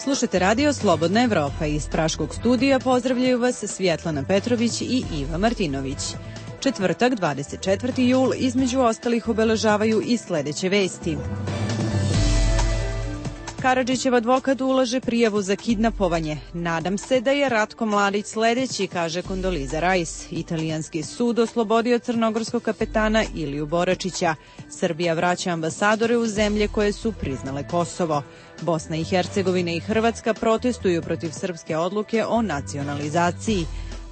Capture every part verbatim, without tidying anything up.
Slušajte radio Slobodna Evropa. Iz Praškog studija pozdravljaju vas Svjetlana Petrović i Iva Martinović. Četvrtak, dvadeset četvrti jul, između ostalih obeležavaju i sledeće vesti. Karadžićev advokat ulaže prijavu za kidnapovanje. Nadam se da je Ratko Mladić sledeći, kaže Kondoliza Rajs. Italijanski sud oslobodio crnogorskog kapetana Iliju Boračića. Srbija vraća ambasadore u zemlje koje su priznale Kosovo. Bosna i Hercegovina i Hrvatska protestuju protiv srpske odluke o nacionalizaciji.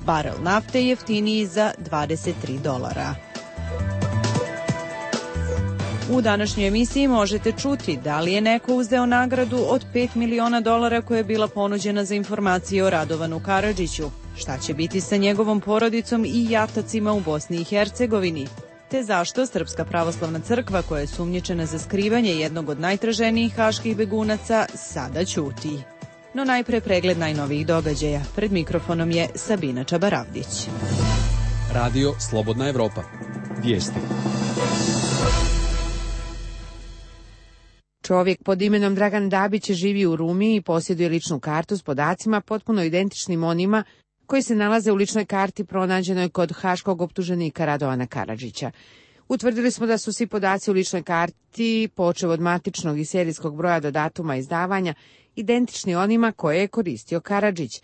Barel nafte jeftiniji za dvadeset tri dolara. U današnjoj emisiji možete čuti da li je neko uzeo nagradu od pet miliona dolara koja je bila ponuđena za informacije o Radovanu Karadžiću, šta će biti sa njegovom porodicom i jatacima u Bosni i Hercegovini, te zašto Srpska pravoslavna crkva, koja je sumnjičena za skrivanje jednog od najtraženijih haških begunaca, sada ćuti. No najpre pregled najnovijih događaja. Pred mikrofonom je Sabina Čabaravdić. Radio Slobodna Evropa. Vijesti. Čovjek pod imenom Dragan Dabić živi u Rumiji i posjeduje ličnu kartu s podacima potpuno identičnim onima koji se nalaze u ličnoj karti pronađenoj kod haškog optuženika Radovana Karadžića. Utvrdili smo da su svi podaci u ličnoj karti, počev od matičnog i serijskog broja do datuma izdavanja, identični onima koje je koristio Karadžić.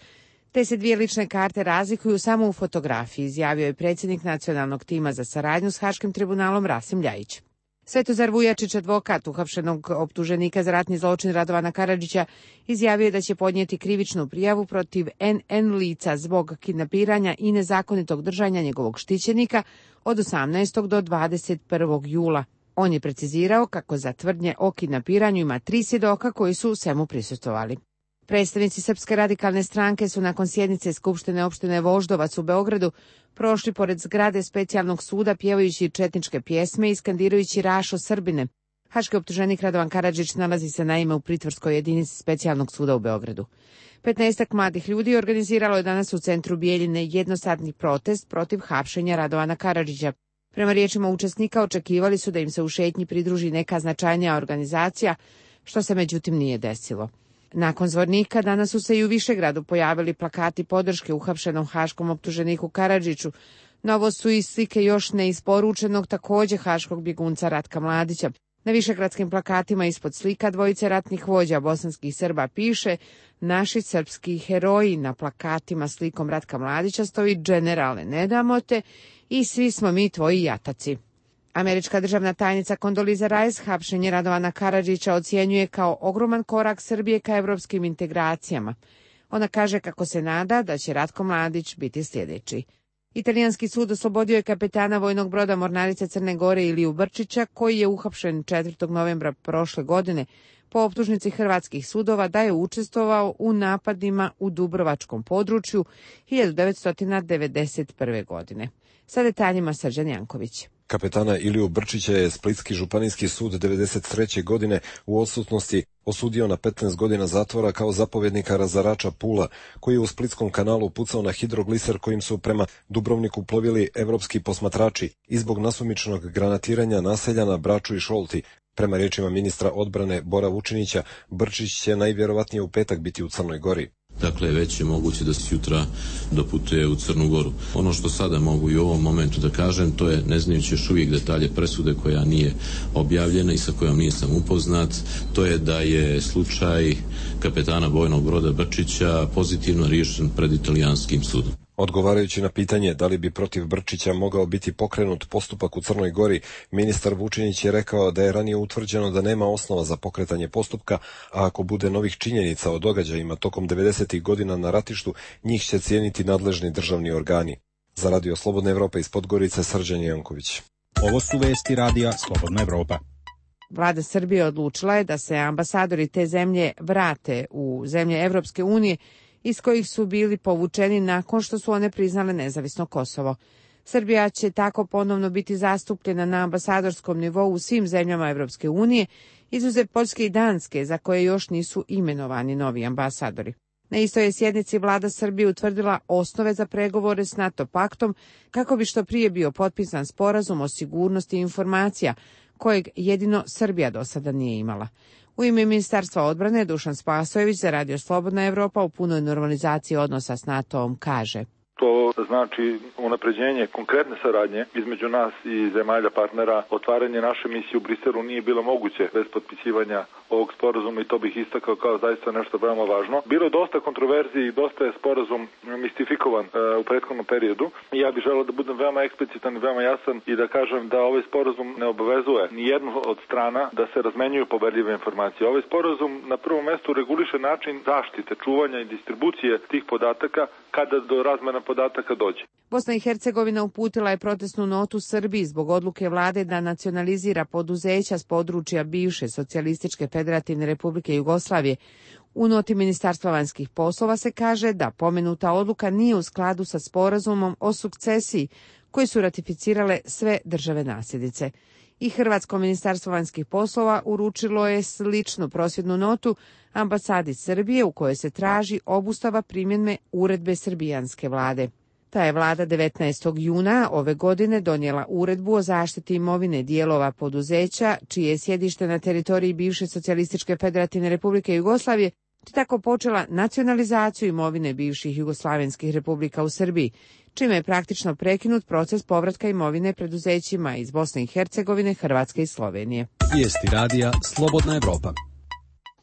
Te se dvije lične karte razlikuju samo u fotografiji, izjavio je predsjednik nacionalnog tima za saradnju s Haškim tribunalom Rasim Ljajić. Svetozar Vujačić, advokat uhapšenog optuženika za ratni zločin Radovana Karadžića, izjavio je da će podnijeti krivičnu prijavu protiv en en lica zbog kidnapiranja i nezakonitog držanja njegovog štićenika od osamnaestog do dvadeset prvog jula. On je precizirao kako za tvrdnje o kidnapiranju ima tri svjedoka koji su u svemu prisustvovali. Predstavnici Srpske radikalne stranke su nakon sjednice Skupštine opštine Voždovac u Beogradu prošli pored zgrade specijalnog suda pjevajući četničke pjesme i skandirajući Rašo Srbine. Haški optuženik Radovan Karadžić nalazi se naime u pritvorskoj jedinici specijalnog suda u Beogradu. Petnaestak mladih ljudi organiziralo je danas u centru Bijeljine jednosatni protest protiv hapšenja Radovana Karadžića. Prema riječima učesnika očekivali su da im se u šetnji pridruži neka značajnija organizacija, što se međutim nije desilo. Nakon zvornika danas su se i u Višegradu pojavili plakati podrške uhapšenom haškom optuženiku Karadžiću. Novo su i slike još neisporučenog također haškog bjegunca Ratka Mladića. Na višegradskim plakatima ispod slika dvojice ratnih vođa bosanskih Srba piše "Naši srpski heroji", na plakatima slikom Ratka Mladića stoji "Generale, ne damo te" i "Svi smo mi tvoji jataci". Američka državna tajnica Kondoliza Rajs hapšenje Radovana Karadžića ocjenjuje kao ogroman korak Srbije ka evropskim integracijama. Ona kaže kako se nada da će Ratko Mladić biti sljedeći. Italijanski sud oslobodio je kapetana vojnog broda Mornarice Crne Gore Iliju Brčića, koji je uhapšen četvrtog novembra prošle godine po optužnici hrvatskih sudova da je učestvovao u napadima u Dubrovačkom području hiljadu devetsto devedeset prve. godine. Sa detaljima Srđan Janković. Kapetana Iliju Brčića je Splitski županijski sud devedeset treće. godine u odsutnosti osudio na petnaest godina zatvora kao zapovjednika razarača Pula, koji je u Splitskom kanalu pucao na hidrogliser kojim su prema Dubrovniku plovili evropski posmatrači i zbog nasumičnog granatiranja naselja na Braču i Šolti. Prema riječima ministra odbrane Bora Vučinića, Brčić će najvjerovatnije u petak biti u Crnoj Gori. Dakle, već je moguće da se jutra doputuje u Crnu Goru. Ono što sada mogu i u ovom momentu da kažem, to je, ne znajući još uvijek detalje presude koja nije objavljena i sa kojom nisam upoznat, to je da je slučaj kapetana vojnog broda Brčića pozitivno riješen pred italijanskim sudom. Odgovarajući na pitanje da li bi protiv Brčića mogao biti pokrenut postupak u Crnoj Gori, ministar Vučinić je rekao da je ranije utvrđeno da nema osnova za pokretanje postupka, a ako bude novih činjenica o događajima tokom devedesetih godina na ratištu, njih će cijeniti nadležni državni organi. Za Radio Slobodna Evropa iz Podgorice, Srđan Janković. Ovo su vesti Radija Slobodna Evropa. Vlada Srbije odlučila je da se ambasadori te zemlje vrate u zemlje Evropske unije iz kojih su bili povučeni nakon što su one priznale nezavisno Kosovo. Srbija će tako ponovno biti zastupljena na ambasadorskom nivou u svim zemljama Evropske unije, izuzev Poljske i Danske, za koje još nisu imenovani novi ambasadori. Na istoj je sjednici vlada Srbije utvrdila osnove za pregovore s NATO paktom kako bi što prije bio potpisan sporazum o sigurnosti informacija, kojeg jedino Srbija do sada nije imala. U ime Ministarstva odbrane Dušan Spasojević za Radio Slobodna Evropa u punoj normalizaciji odnosa s NATO-om kaže: To znači unapređenje konkretne saradnje između nas i zemalja partnera. Otvaranje naše misije u Briselu nije bilo moguće bez potpisivanja ovog sporazuma i to bih istakao kao zaista nešto veoma važno. Bilo je dosta kontroverziji i dosta je sporazum mistifikovan e, u prethodnom periodu. I ja bih želeo da budem veoma eksplicitan i veoma jasan i da kažem da ovaj sporazum ne obavezuje ni jednu od strana da se razmenjuju poverljive informacije. Ovaj sporazum na prvom mestu reguliše način zaštite, čuvanja i distribucije tih podataka kada do razmena podataka dođe. Bosna i Hercegovina uputila je protestnu notu Srbiji zbog odluke vlade da nacionalizira poduzeća s područja bivše Socijalističke Federativne Republike Jugoslavije. U noti Ministarstva vanjskih poslova se kaže da pomenuta odluka nije u skladu sa sporazumom o sukcesiji koji su ratificirale sve države nasljednice. I Hrvatsko ministarstvo vanjskih poslova uručilo je sličnu prosvjednu notu ambasadi Srbije u kojoj se traži obustava primjene uredbe srbijanske vlade. Ta je vlada devetnaestog juna ove godine donijela uredbu o zaštiti imovine dijelova poduzeća čije je sjedište na teritoriji bivše Socijalističke Federativne Republike Jugoslavije, te tako počela nacionalizaciju imovine bivših jugoslavenskih republika u Srbiji, čime je praktično prekinut proces povratka imovine preduzećima iz Bosne i Hercegovine, Hrvatske i Slovenije. Vijesti radija Slobodna Evropa.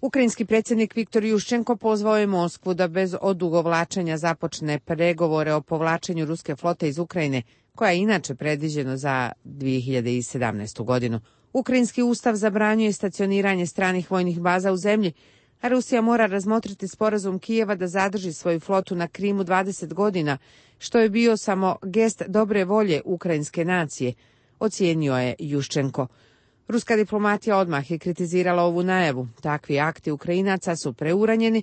Ukrajinski predsjednik Viktor Juščenko pozvao je Moskvu da bez odugovlačenja započne pregovore o povlačenju ruske flote iz Ukrajine, koja je inače predviđeno za dvije hiljade sedamnaestu. godinu. Ukrajinski ustav zabranjuje stacioniranje stranih vojnih baza u zemlji, a Rusija mora razmotriti sporazum Kijeva da zadrži svoju flotu na Krimu dvadeset godina, što je bio samo gest dobre volje ukrajinske nacije, ocijenio je Juščenko. Ruska diplomatija odmah je kritizirala ovu najavu. Takvi akti Ukrajinaca su preuranjeni,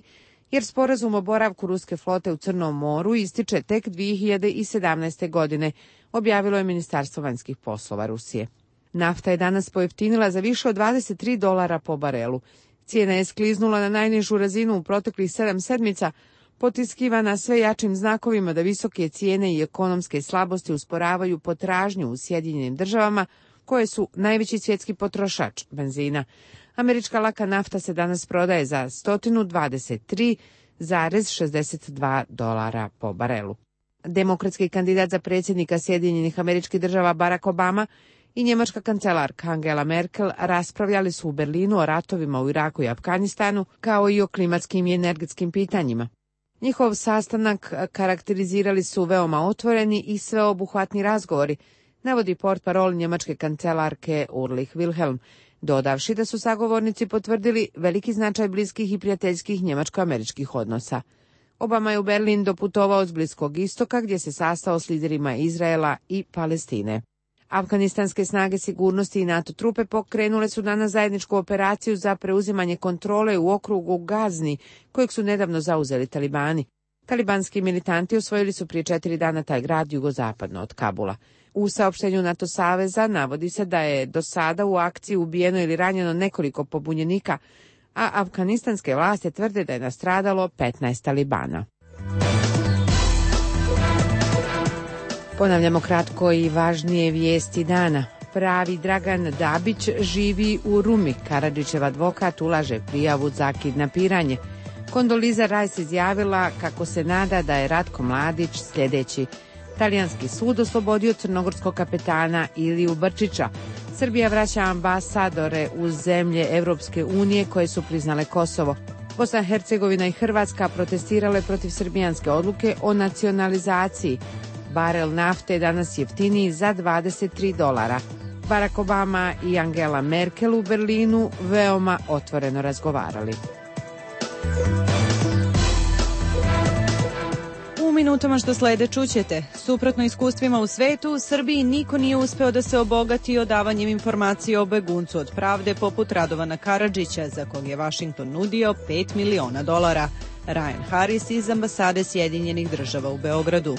jer sporazum o boravku ruske flote u Crnom moru ističe tek dvije hiljade sedamnaeste. godine, objavilo je Ministarstvo vanjskih poslova Rusije. Nafta je danas pojeftinila za više od dvadeset tri dolara po barelu. Cijena je skliznula na najnižu razinu u proteklih sedam sedmica, potiskivana sve jačim znakovima da visoke cijene i ekonomske slabosti usporavaju potražnju u Sjedinjenim državama, koje su najveći svjetski potrošač benzina. Američka laka nafta se danas prodaje za sto dvadeset tri zarez šezdeset dva dolara po barelu. Demokratski kandidat za predsjednika Sjedinjenih Američkih Država Barack Obama i njemačka kancelarka Angela Merkel raspravljali su u Berlinu o ratovima u Iraku i Afganistanu, kao i o klimatskim i energetskim pitanjima. Njihov sastanak karakterizirali su veoma otvoreni i sveobuhvatni razgovori, navodi portparol njemačke kancelarke Ulrich Wilhelm, dodavši da su sagovornici potvrdili veliki značaj bliskih i prijateljskih njemačko-američkih odnosa. Obama je u Berlin doputovao s Bliskog istoka, gdje se sastao s liderima Izraela i Palestine. Afganistanske snage sigurnosti i NATO trupe pokrenule su danas zajedničku operaciju za preuzimanje kontrole u okrugu Gazni, kojeg su nedavno zauzeli talibani. Talibanski militanti osvojili su prije četiri dana taj grad jugozapadno od Kabula. U saopštenju NATO saveza navodi se da je do sada u akciji ubijeno ili ranjeno nekoliko pobunjenika, a afganistanske vlasti tvrde da je nastradalo petnaest talibana. Ponavljamo kratko i važnije vijesti dana. Pravi Dragan Dabić živi u Rumi. Karadžićev advokat ulaže prijavu za kidnapiranje. Kondoliza Rice izjavila kako se nada da je Ratko Mladić sljedeći. Talijanski sud oslobodio crnogorskog kapetana Iliju Brčića. Srbija vraća ambasadore u zemlje Evropske unije koje su priznale Kosovo. Bosna i Hercegovina i Hrvatska protestirale protiv srbijanske odluke o nacionalizaciji. Barel nafte je danas jeftiniji za dvadeset tri dolara. Barack Obama i Angela Merkel u Berlinu veoma otvoreno razgovarali. U minutama što slede čućete, suprotno iskustvima u svetu, u Srbiji niko nije uspeo da se obogati odavanjem informacije o beguncu od pravde poput Radovana Karadžića, za kog je Vašington nudio pet miliona dolara. Ryan Harris iz ambasade Sjedinjenih Država u Beogradu.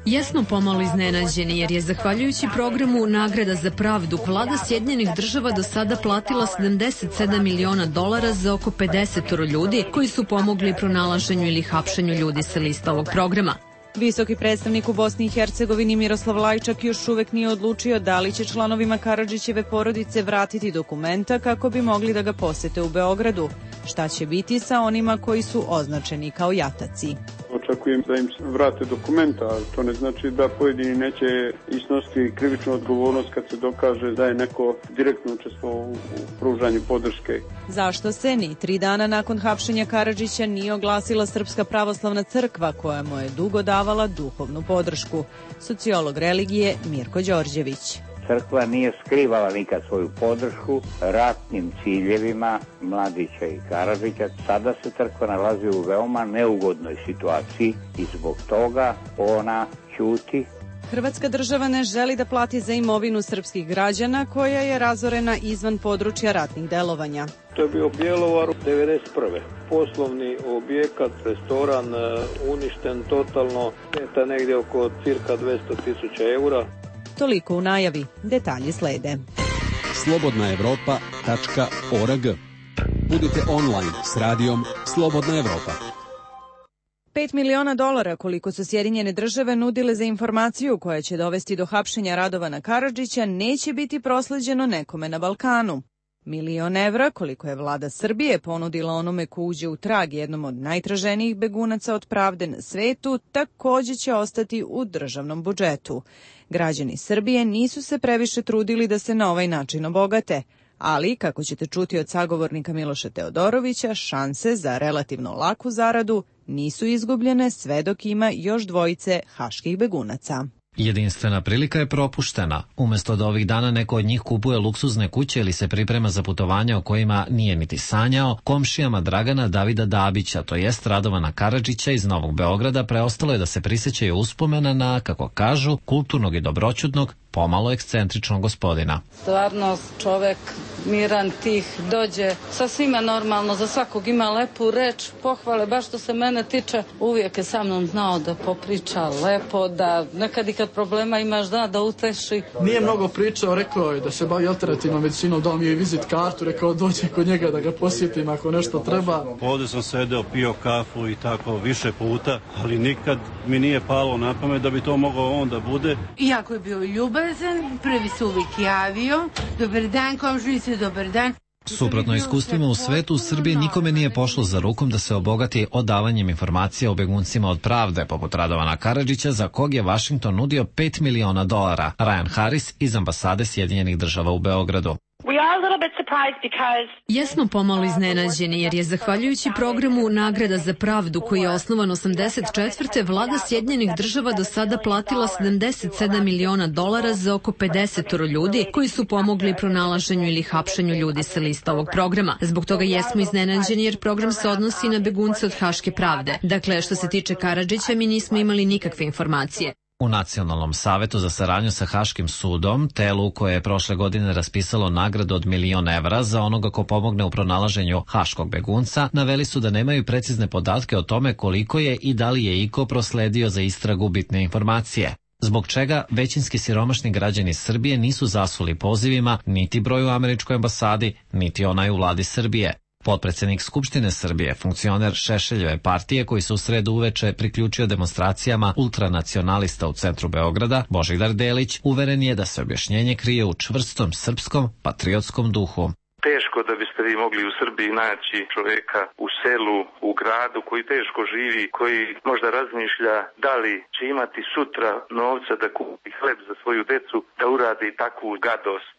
Jesmo pomalo iznenađeni jer je zahvaljujući programu Nagrada za pravdu vlada Sjedinjenih Država do sada platila sedamdeset sedam miliona dolara za oko pedeset ljudi koji su pomogli pronalaženju ili hapšenju ljudi sa lista ovog programa. Visoki predstavnik u Bosni i Hercegovini Miroslav Lajčak još uvek nije odlučio da li će članovima Karadžićeve porodice vratiti dokumenta kako bi mogli da ga posete u Beogradu. Šta će biti sa onima koji su označeni kao jataci? Očekujem da im vrate dokumenta, ali to ne znači da pojedini neće isnositi krivičnu odgovornost kad se dokaže da je neko direktno učestvovao u pružanju podrške. Zašto se ni tri dana nakon hapšenja Karadžića nije oglasila Srpska pravoslavna crkva koja mu je dugo davala duhovnu podršku? Sociolog religije Mirko Đorđević. Crkva nije skrivala nikad svoju podršku ratnim ciljevima Mladića i Karadžića. Sada se crkva nalazi u veoma neugodnoj situaciji i zbog toga ona ćuti. Hrvatska država ne želi da plati za imovinu srpskih građana koja je razorena izvan područja ratnih delovanja. To je bio Bjelovar devedeset prve Poslovni objekat, restoran uništen totalno, šteta negdje oko cirka dvesta tisuća eura. Toliko u najavi, detalji slede. slobodna evropa tačka org. Budite online s radijom Slobodna Evropa. Pet miliona dolara koliko su Sjedinjene države nudile za informaciju koja će dovesti do hapšenja Radovana Karadžića neće biti prosleđeno nekome na Balkanu. Milion evra koliko je vlada Srbije ponudila onome ko uđe u trag jednom od najtraženijih begunaca od pravde na svetu takođe će ostati u državnom budžetu. Građani Srbije nisu se previše trudili da se na ovaj način obogate, ali, kako ćete čuti od sagovornika Miloša Teodorovića, šanse za relativno laku zaradu nisu izgubljene sve dok ima još dvojice haških begunaca. Jedinstvena prilika je propuštena. Umesto da ovih dana neko od njih kupuje luksuzne kuće ili se priprema za putovanja o kojima nije niti sanjao, komšijama Dragana Davida Dabića, to jest Radovana Karadžića iz Novog Beograda, preostalo je da se prisjećaju uspomena na, kako kažu, kulturnog i dobroćudnog, pomalo ekscentričnog gospodina. Stvarno čovek miran, tih, dođe sa svima normalno, za svakog ima lepu reč, pohvale, baš što se mene tiče, uvijek je sa mnom znao da popriča lepo, da nekad i kad problema imaš da, da uteši. Nije mnogo pričao, rekao je da se bavi alternativnom medicinom, dao mi je vizit kartu, rekao dođe kod njega da ga posjetim ako nešto treba. Ovdje sam sedeo, pio kafu i tako više puta, ali nikad mi nije palo na pamet da bi to mogao on da bude. Iako je bio ljubav, prvi se uvijek javio, dobar dan, komšnice, dobar dan. Suprotno iskustvima u svetu, u Srbiji nikome nije pošlo za rukom da se obogati odavanjem informacija o beguncima od pravde, poput Radovana Karadžića, za kog je Vašington nudio pet miliona dolara. Ryan Harris iz ambasade Sjedinjenih država u Beogradu. Jesmo pomalo iznenađeni jer je zahvaljujući programu Nagrada za pravdu koji je osnovan osamdeset četvrte vlada Sjedinjenih država do sada platila sedamdeset sedam miliona dolara za oko pedeset ljudi koji su pomogli pronalaženju ili hapšenju ljudi sa lista ovog programa. Zbog toga jesmo iznenađeni jer program se odnosi na begunce od haške pravde. Dakle, što se tiče Karadžića, mi nismo imali nikakve informacije. U Nacionalnom savetu za saradnju sa Haškim sudom, telu koje je prošle godine raspisalo nagradu od milion evra za onoga ko pomogne u pronalaženju haškog begunca, naveli su da nemaju precizne podatke o tome koliko je i da li je iko prosledio za istragu bitne informacije. Zbog čega većinski siromašni građani Srbije nisu zasuli pozivima niti broju u američkoj ambasadi, niti onaj u vladi Srbije. Potpredsednik Skupštine Srbije, funkcioner Šešeljeve partije koji se u sredu uveče priključio demonstracijama ultranacionalista u centru Beograda, Božidar Delić, uveren je da se objašnjenje krije u čvrstom srpskom patriotskom duhu. Teško da biste vi mogli u Srbiji naći čoveka u selu, u gradu koji teško živi, koji možda razmišlja da li će imati sutra novca da kupi hleb za svoju decu, da uradi takvu gadost.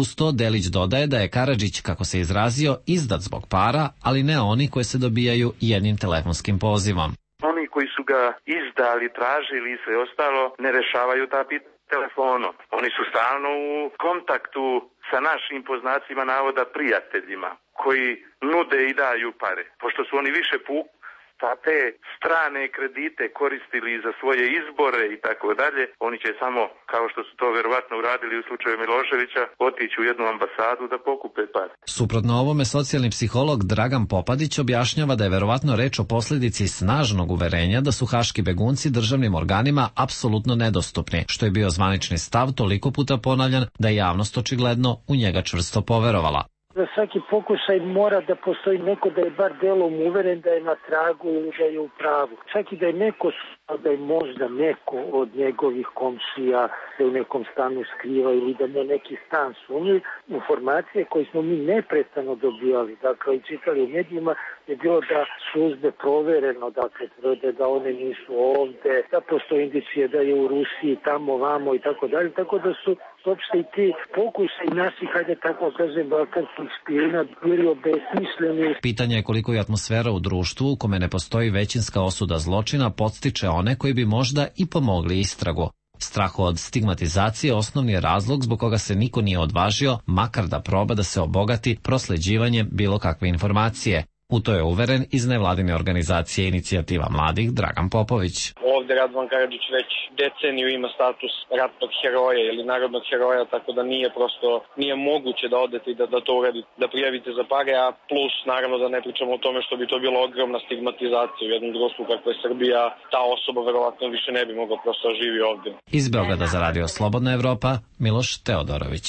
Uz to Delić dodaje da je Karadžić, kako se izrazio, izdat zbog para, ali ne oni koji se dobijaju jednim telefonskim pozivom. Oni koji su ga izdali, tražili i sve ostalo, ne rešavaju ta pitanja telefonom. Oni su stalno u kontaktu sa našim, po znacima navoda, prijateljima, koji nude i daju pare. Pošto su oni više puk pa te strane kredite koristili za svoje izbore i tako dalje, oni će samo, kao što su to verovatno uradili u slučaju Miloševića, otići u jednu ambasadu da pokupe pare. Suprotno ovome, socijalni psiholog Dragan Popadić objašnjava da je verovatno reč o posljedici snažnog uverenja da su haški begunci državnim organima apsolutno nedostupni, što je bio zvanični stav toliko puta ponavljan da je javnost očigledno u njega čvrsto poverovala. Za svaki pokušaj mora da postoji neko da je bar delom uveren da je na tragu ili da je u pravu. Čak i da je neko da je možda neko od njegovih komšija se u nekom stanu skriva ili da mu neki stan sumnji. Informacije koje smo mi neprestano dobijali, dakle i čitali u medijima, je bilo da su uzde provereno, dakle tvrde da one nisu ovde, da postoje indicije da je u Rusiji, tamo, vamo i tako dalje, tako da su uopšte i ti pokušaj naših, hajde tako kažem, balkanskih špijuna bili obesmišljeni. Pitanje je koliko je atmosfera u društvu u kome ne postoji većinska osuda zločina podstiče one koji bi možda i pomogli istragu. Strah od stigmatizacije osnovni je razlog zbog koga se niko nije odvažio, makar da proba da se obogati prosleđivanjem bilo kakve informacije. U to je uveren iz nevladine organizacije Inicijativa mladih Dragan Popović. Ovde Radovan Karadžić već deceniju ima status ratnog heroja ili narodnog heroja, tako da nije prosto, nije moguće da odete i da, da to uradite, da prijavite za pare, a plus naravno da ne pričamo o tome što bi to bila ogromna stigmatizacija u jednom društvu kako je Srbija, ta osoba verovatno više ne bi mogla prosto živi ovde. Iz Beograda za Radio Slobodna Evropa, Miloš Teodorović.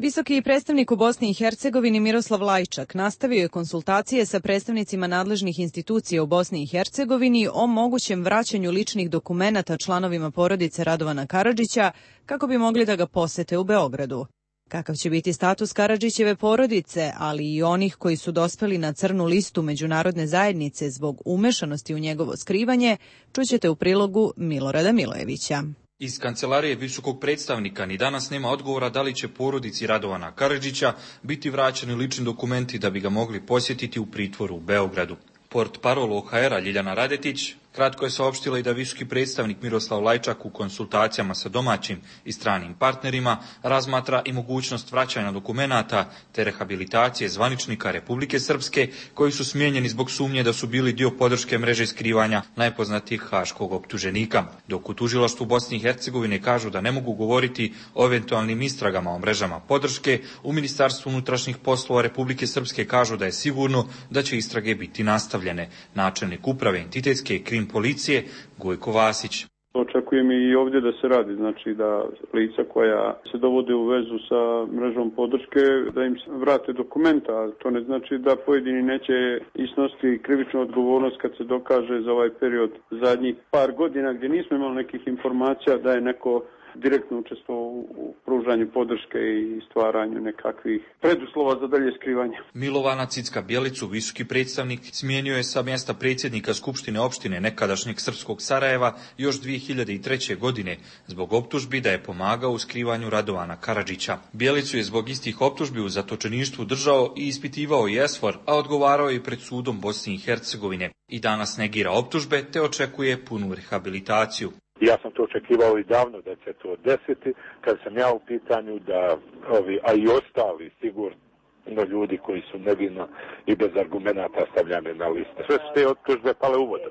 Visoki predstavnik u Bosni i Hercegovini Miroslav Lajčak nastavio je konsultacije sa predstavnicima nadležnih institucija u Bosni i Hercegovini o mogućem vraćanju ličnih dokumenata članovima porodice Radovana Karadžića kako bi mogli da ga posete u Beogradu. Kakav će biti status Karadžićeve porodice, ali i onih koji su dospeli na crnu listu međunarodne zajednice zbog umešanosti u njegovo skrivanje, čućete u prilogu Milorada Milojevića. Iz kancelarije visokog predstavnika ni danas nema odgovora da li će porodici Radovana Karadžića biti vraćeni lični dokumenti da bi ga mogli posjetiti u pritvoru u Beogradu. Port parol O H R-a Ljiljana Radetić kratko je saopštila i da visoki predstavnik Miroslav Lajčak u konsultacijama sa domaćim i stranim partnerima razmatra i mogućnost vraćanja dokumenata te rehabilitacije zvaničnika Republike Srpske koji su smijenjeni zbog sumnje da su bili dio podrške mreže skrivanja najpoznatijih haškog optuženika. Dok u tužilaštvu Bosne i Hercegovine kažu da ne mogu govoriti o eventualnim istragama o mrežama podrške, u Ministarstvu unutrašnjih poslova Republike Srpske kažu da je sigurno da će istrage biti nastavljene. Načelnik uprave entitetske i krim policije Gojko Vasić. Očekujem i ovdje da se radi, znači da lica koja se dovode u vezu sa mrežom podrške, da im vrate dokumenta, ali to ne znači da pojedini neće isnositi krivičnu odgovornost kad se dokaže za ovaj period zadnjih par godina gdje nismo imali nekih informacija da je neko direktno učestvovao u pružanju podrške i stvaranju nekakvih preduslova za dalje skrivanje. Milovana Cicka-Bjelicu, visoki predstavnik, smijenio je sa mjesta predsjednika Skupštine opštine nekadašnjeg srpskog Sarajeva još dvije hiljade treće. godine zbog optužbi da je pomagao u skrivanju Radovana Karadžića. Bjelicu je zbog istih optužbi u zatočeništvu držao i ispitivao i ESFOR, a odgovarao je pred sudom Bosne i Hercegovine. I danas negira optužbe te očekuje punu rehabilitaciju. Ja sam to očekivao i davno da će to desiti, kad sam ja u pitanju da ovi, a i ostali sigurno ljudi koji su nevino i bez argumenata stavljane na liste. Sve su te optužbe pale u vodu.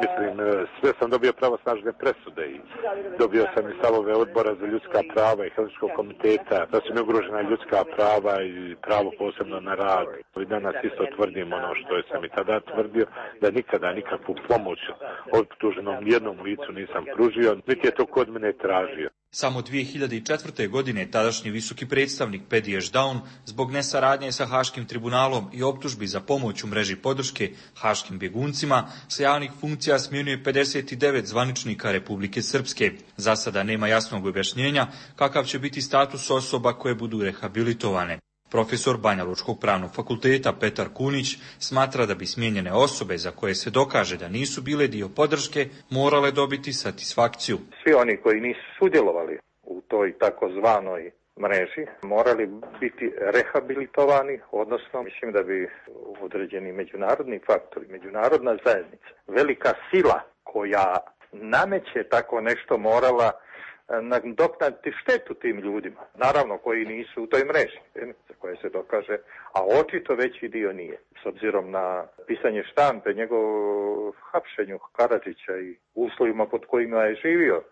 Mislim, sve sam dobio pravosnažne presude i dobio sam i stavove odbora za ljudska prava i Helsinškog komiteta, da su mi ugrožena ljudska prava i pravo posebno na rad. I danas isto tvrdim ono što sam i tada tvrdio, da nikada nikakvu pomoć optuženom jednom licu nisam pružio, niti je to kod mene tražio. Samo dvije hiljade četvrte. godine tadašnji visoki predstavnik Pedi Ešdaun zbog nesaradnje sa Haškim tribunalom i optužbi za pomoć u mreži podrške haškim bjeguncima sa javnih funkcija smjenjuje pedeset devet zvaničnika Republike Srpske. Za sada nema jasnog objašnjenja kakav će biti status osoba koje budu rehabilitovane. Profesor Banjalučkog pravnog fakulteta Petar Kunić smatra da bi smijenjene osobe za koje se dokaže da nisu bile dio podrške morale dobiti satisfakciju. Svi oni koji nisu sudjelovali u toj takozvanoj mreži morali biti rehabilitovani, odnosno mislim da bi određeni međunarodni faktori, međunarodna zajednica, velika sila koja nameće tako nešto morala nadoknaditi štetu tim ljudima, naravno koji nisu u toj mreži, za koje se dokaže, a očito veći dio nije. S obzirom na pisanje štampe, njegov hapšenju Karadžića i uslovima pod kojima je živio,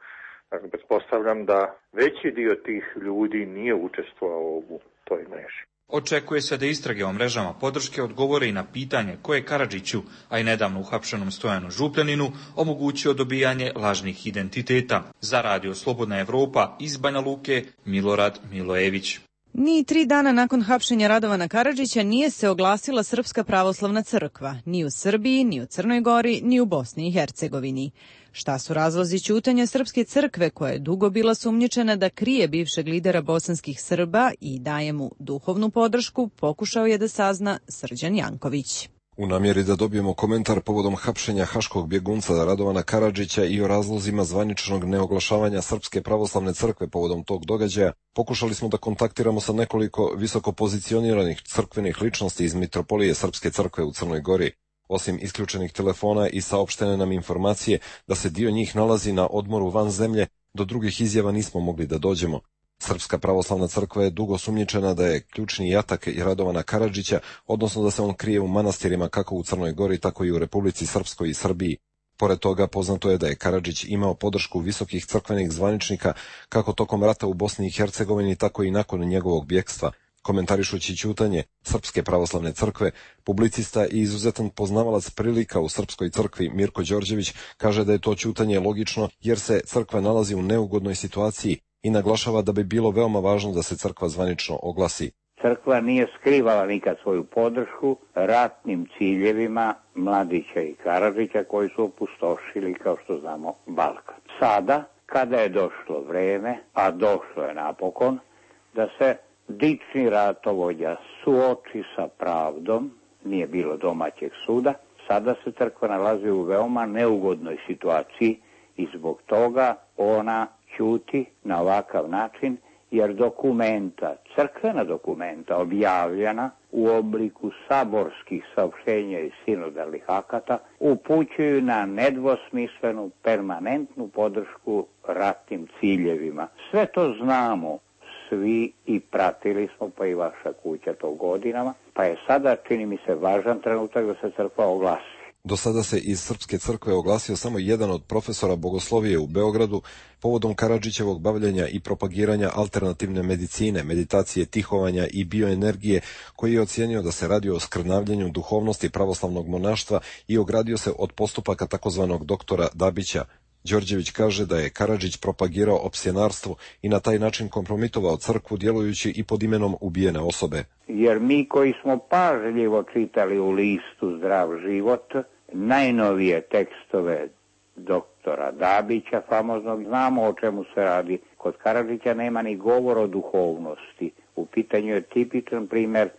dakle, pretpostavljam da veći dio tih ljudi nije učestvovao u toj mreži. Očekuje se da istrage o mrežama podrške odgovore i na pitanje koje Karadžiću, a i nedavno uhapšenom Stojanu Župljaninu, omogućio dobijanje lažnih identiteta. Za Radio Slobodna Evropa iz Banja Luke, Milorad Milojević. Ni tri dana nakon hapšenja Radovana Karadžića nije se oglasila Srpska pravoslavna crkva, ni u Srbiji, ni u Crnoj Gori, ni u Bosni i Hercegovini. Šta su razlozi ćutanja Srpske crkve, koja je dugo bila sumnjičena da krije bivšeg lidera bosanskih Srba i daje mu duhovnu podršku, pokušao je da sazna Srđan Janković. U namjeri da dobijemo komentar povodom hapšenja haškog bjegunca Radovana Karadžića i o razlozima zvaničnog neoglašavanja Srpske pravoslavne crkve povodom tog događaja, pokušali smo da kontaktiramo sa nekoliko visoko pozicioniranih crkvenih ličnosti iz Mitropolije Srpske crkve u Crnoj Gori. Osim isključenih telefona i saopštene nam informacije da se dio njih nalazi na odmoru van zemlje, do drugih izjava nismo mogli da dođemo. Srpska pravoslavna crkva je dugo sumnjičena da je ključni jatak i Radovana Karadžića, odnosno da se on krije u manastirima kako u Crnoj Gori, tako i u Republici Srpskoj i Srbiji. Pored toga, poznato je da je Karadžić imao podršku visokih crkvenih zvaničnika kako tokom rata u Bosni i Hercegovini, tako i nakon njegovog bjekstva. Komentarišući ćutanje Srpske pravoslavne crkve, publicista i izuzetan poznavalac prilika u Srpskoj crkvi Mirko Đorđević kaže da je to ćutanje logično jer se crkva nalazi u neugodnoj situaciji i naglašava da bi bilo veoma važno da se crkva zvanično oglasi. Crkva nije skrivala nikad svoju podršku ratnim ciljevima Mladića i Karadžića koji su opustošili, kao što znamo, Balkan. Sada, kada je došlo vreme, a došlo je napokon, da se dični ratovođa suoči sa pravdom, nije bilo domaćeg suda, sada se crkva nalazi u veoma neugodnoj situaciji i zbog toga ona ćuti na ovakav način, jer dokumenta, crkvena dokumenta objavljena u obliku saborskih saopštenja i sinodalnih akata upućuju na nedvosmislenu permanentnu podršku ratnim ciljevima. Sve to znamo svi i pratili smo, pa i vaša kuća to godinama, pa je sada, čini mi se, važan trenutak da se crkva oglasi. Do sada se iz Srpske crkve oglasio samo jedan od profesora bogoslovije u Beogradu povodom Karadžićevog bavljenja i propagiranja alternativne medicine, meditacije, tihovanja i bioenergije, koji je ocijenio da se radi o skrnavljenju duhovnosti pravoslavnog monaštva i ogradio se od postupaka takozvanog doktora Dabića. Đorđević kaže da je Karadžić propagirao opsjenarstvo i na taj način kompromitovao crkvu djelujući i pod imenom ubijene osobe. Jer mi koji smo pažljivo čitali u listu Zdrav život najnovije tekstove doktora Dabića, famoznog, znamo o čemu se radi. Kod Karadžića nema ni govor o duhovnosti. U pitanju je tipičan primjer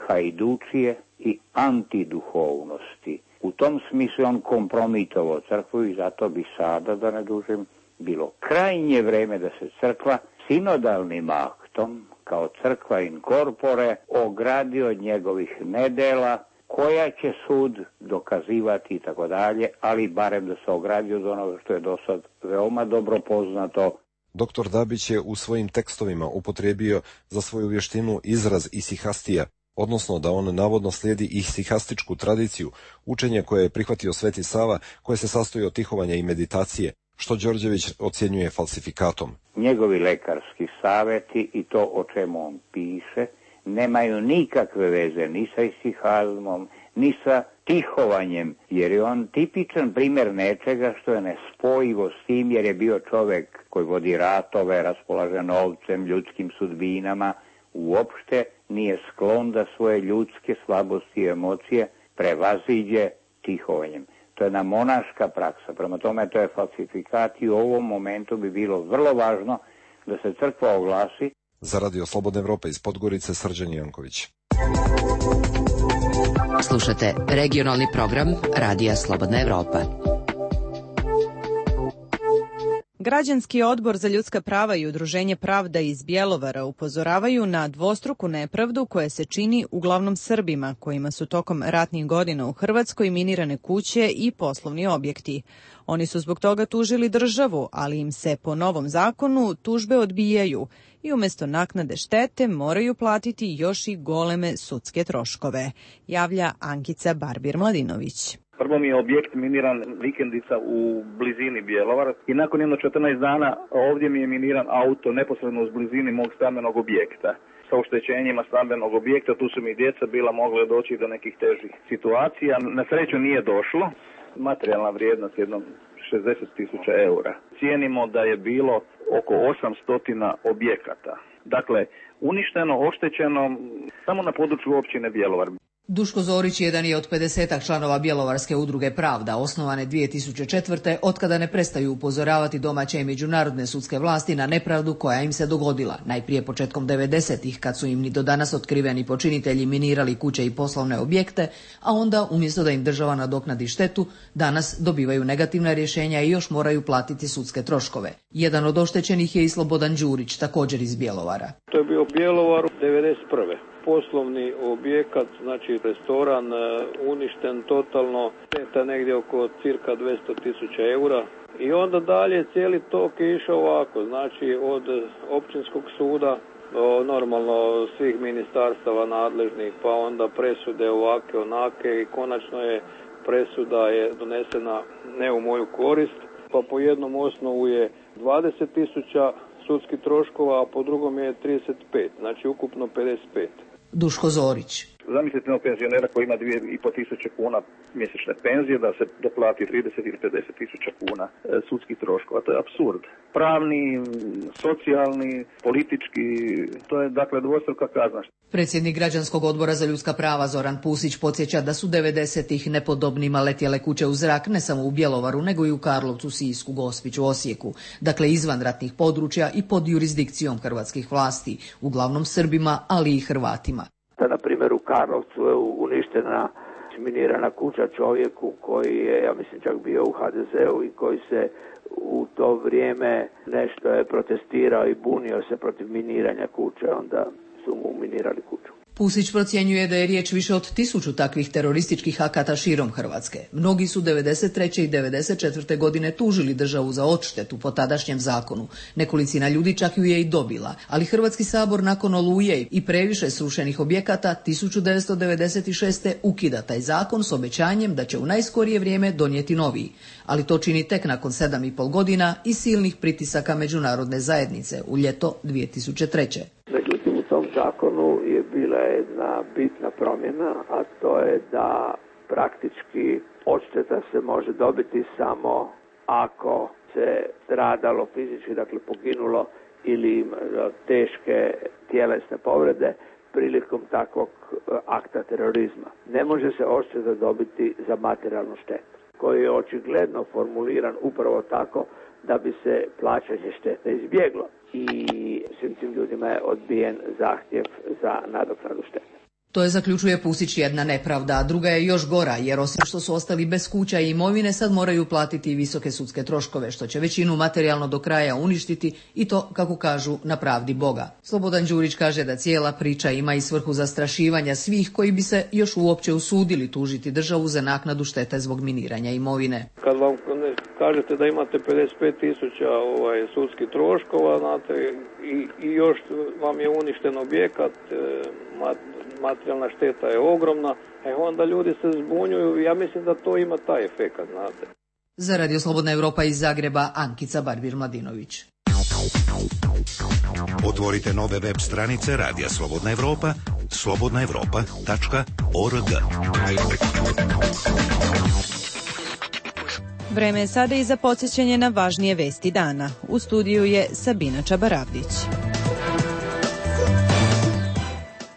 hajdučije i antiduhovnosti. U tom smislu on kompromitovao crkvu i zato bi sada, da ne dužim, bilo krajnje vreme da se crkva sinodalnim aktom, kao crkva in corpore, ogradi od njegovih nedela, koja će sud dokazivati i tako dalje, ali barem da se ogradi od onoga što je do sad veoma dobro poznato. Doktor Dabić je u svojim tekstovima upotrijebio za svoju vještinu izraz isihastija, odnosno da on navodno slijedi isihastičku tradiciju, učenje koje je prihvatio Sveti Sava, koje se sastoji od tihovanja i meditacije, što Đorđević ocjenjuje falsifikatom. Njegovi lekarski savjeti i to o čemu on piše nemaju nikakve veze ni sa isihazmom, ni sa tihovanjem, jer je on tipičan primjer nečega što je nespojivo s tim, jer je bio čovjek koji vodi ratove, raspolaže novcem, ljudskim sudbinama, uopšte nije sklon da svoje ljudske slabosti i emocije prevaziđe tihovanjem. To je jedna monaška praksa, prema tome to je falsifikat i u ovom momentu bi bilo vrlo važno da se crkva oglasi. Za Radio Slobodna Evropa iz Podgorice, Srđan Janković. Slušate regionalni program Radija Slobodna Evropa. Građanski odbor za ljudska prava i Udruženje Pravda iz Bjelovara upozoravaju na dvostruku nepravdu koja se čini uglavnom Srbima, kojima su tokom ratnih godina u Hrvatskoj minirane kuće i poslovni objekti. Oni su zbog toga tužili državu, ali im se po novom zakonu tužbe odbijaju i umjesto naknade štete moraju platiti još i goleme sudske troškove, javlja Ankica Barbir-Mladinović. Prvo mi je objekt miniran vikendica u blizini Bjelovara i nakon jedno četrnaest dana ovdje mi je miniran auto neposredno u blizini mog stambenog objekta. Sa oštećenjima stambenog objekta tu su mi djeca bila mogla doći do nekih težih situacija. Na sreću nije došlo. Materijalna vrijednost jedno šezdeset tisuća eura. Cijenimo da je bilo oko osamsto objekata. Dakle, uništeno, oštećeno samo na području općine Bjelovar. Duško Zorić jedan je od pedesetak članova Bjelovarske udruge Pravda, osnovane dvije tisuće četvrte, otkada ne prestaju upozoravati domaće i međunarodne sudske vlasti na nepravdu koja im se dogodila. Najprije početkom devedesetih, kad su im ni do danas otkriveni počinitelji minirali kuće i poslovne objekte, a onda, umjesto da im država nadoknadi štetu, danas dobivaju negativna rješenja i još moraju platiti sudske troškove. Jedan od oštećenih je i Slobodan Đurić, također iz Bjelovara. To je bio u Bjelovaru devedeset prve Poslovni objekat, znači restoran, uništen totalno, šteta negdje oko cirka dvjesto tisuća eura. I onda dalje cijeli tok je išao ovako, znači od općinskog suda do normalno svih ministarstava nadležnih, pa onda presude ovake, onake i konačno je presuda je donesena ne u moju korist, pa po jednom osnovu je dvadeset tisuća sudskih troškova, a po drugom je trideset pet, znači ukupno pedeset pet. Duško Zorić. Zamislite jednog penzionera koji ima dvije i po tisuće kuna mjesečne penzije, da se doplati trideset ili pedeset tisuća kuna sudskih troškova. To je apsurd. Pravni, socijalni, politički, to je dakle dvostruka kazna. Predsjednik Građanskog odbora za ljudska prava Zoran Pusić podsjeća da su devedesetih nepodobnima letjele kuće u zrak ne samo u Bjelovaru, nego i u Karlovcu, Sisku, Gospiću, Osijeku. Dakle, izvan ratnih područja i pod jurisdikcijom hrvatskih vlasti, uglavnom Srbima, ali i Hrvatima. Na primjer u Karlovcu je uništena minirana kuća čovjeku koji je, ja mislim, čak bio u ha de zeu i koji se u to vrijeme nešto je protestirao i bunio se protiv miniranja kuće, onda su mu minirali kuću. Pusić procjenjuje da je riječ više od tisuću takvih terorističkih akata širom Hrvatske. Mnogi su devedeset treće i devedeset četvrte godine tužili državu za odštetu po tadašnjem zakonu. Nekolicina ljudi čak ju je i dobila, ali Hrvatski sabor nakon Oluje i previše srušenih objekata tisuću devetsto devedeset šeste ukida taj zakon s obećanjem da će u najskorije vrijeme donijeti noviji. Ali to čini tek nakon sedam i pol godina i silnih pritisaka međunarodne zajednice u ljeto dvije tisuće treće. Međutim, u tom zakonu je bila jedna bitna promjena, a to je da praktički odšteta se može dobiti samo ako se stradalo fizički, dakle poginulo ili teške tjelesne povrede prilikom takvog akta terorizma. Ne može se odšteta dobiti za materijalnu štetu, koji je očigledno formuliran upravo tako da bi se plaćanje štete izbjeglo. I svim tim ljudima je odbijen zahtjev za nadoknadu štete. To je, zaključuje Pusić, jedna nepravda, a druga je još gora, jer osim što su ostali bez kuća i imovine, sad moraju platiti i visoke sudske troškove, što će većinu materijalno do kraja uništiti i to, kako kažu, na pravdi Boga. Slobodan Đurić kaže da cijela priča ima i svrhu zastrašivanja svih koji bi se još uopće usudili tužiti državu za naknadu štete zbog miniranja imovine. Kad vam kažete da imate pedeset pet tisuća ovaj, sudskih troškova, znate, i, i još vam je uništen objekat, e, mat, materijalna šteta je ogromna, e onda ljudi se zbunjuju, ja mislim da to ima taj efekat, znate. Za Radio Slobodna Evropa iz Zagreba, Ankica Barbir-Mladinović. Otvorite nove web stranice Radija Slobodna Evropa, slobodna evropa tačka org. Vreme je sada i za podsjećanje na važnije vesti dana. U studiju je Sabina Čabaravdić.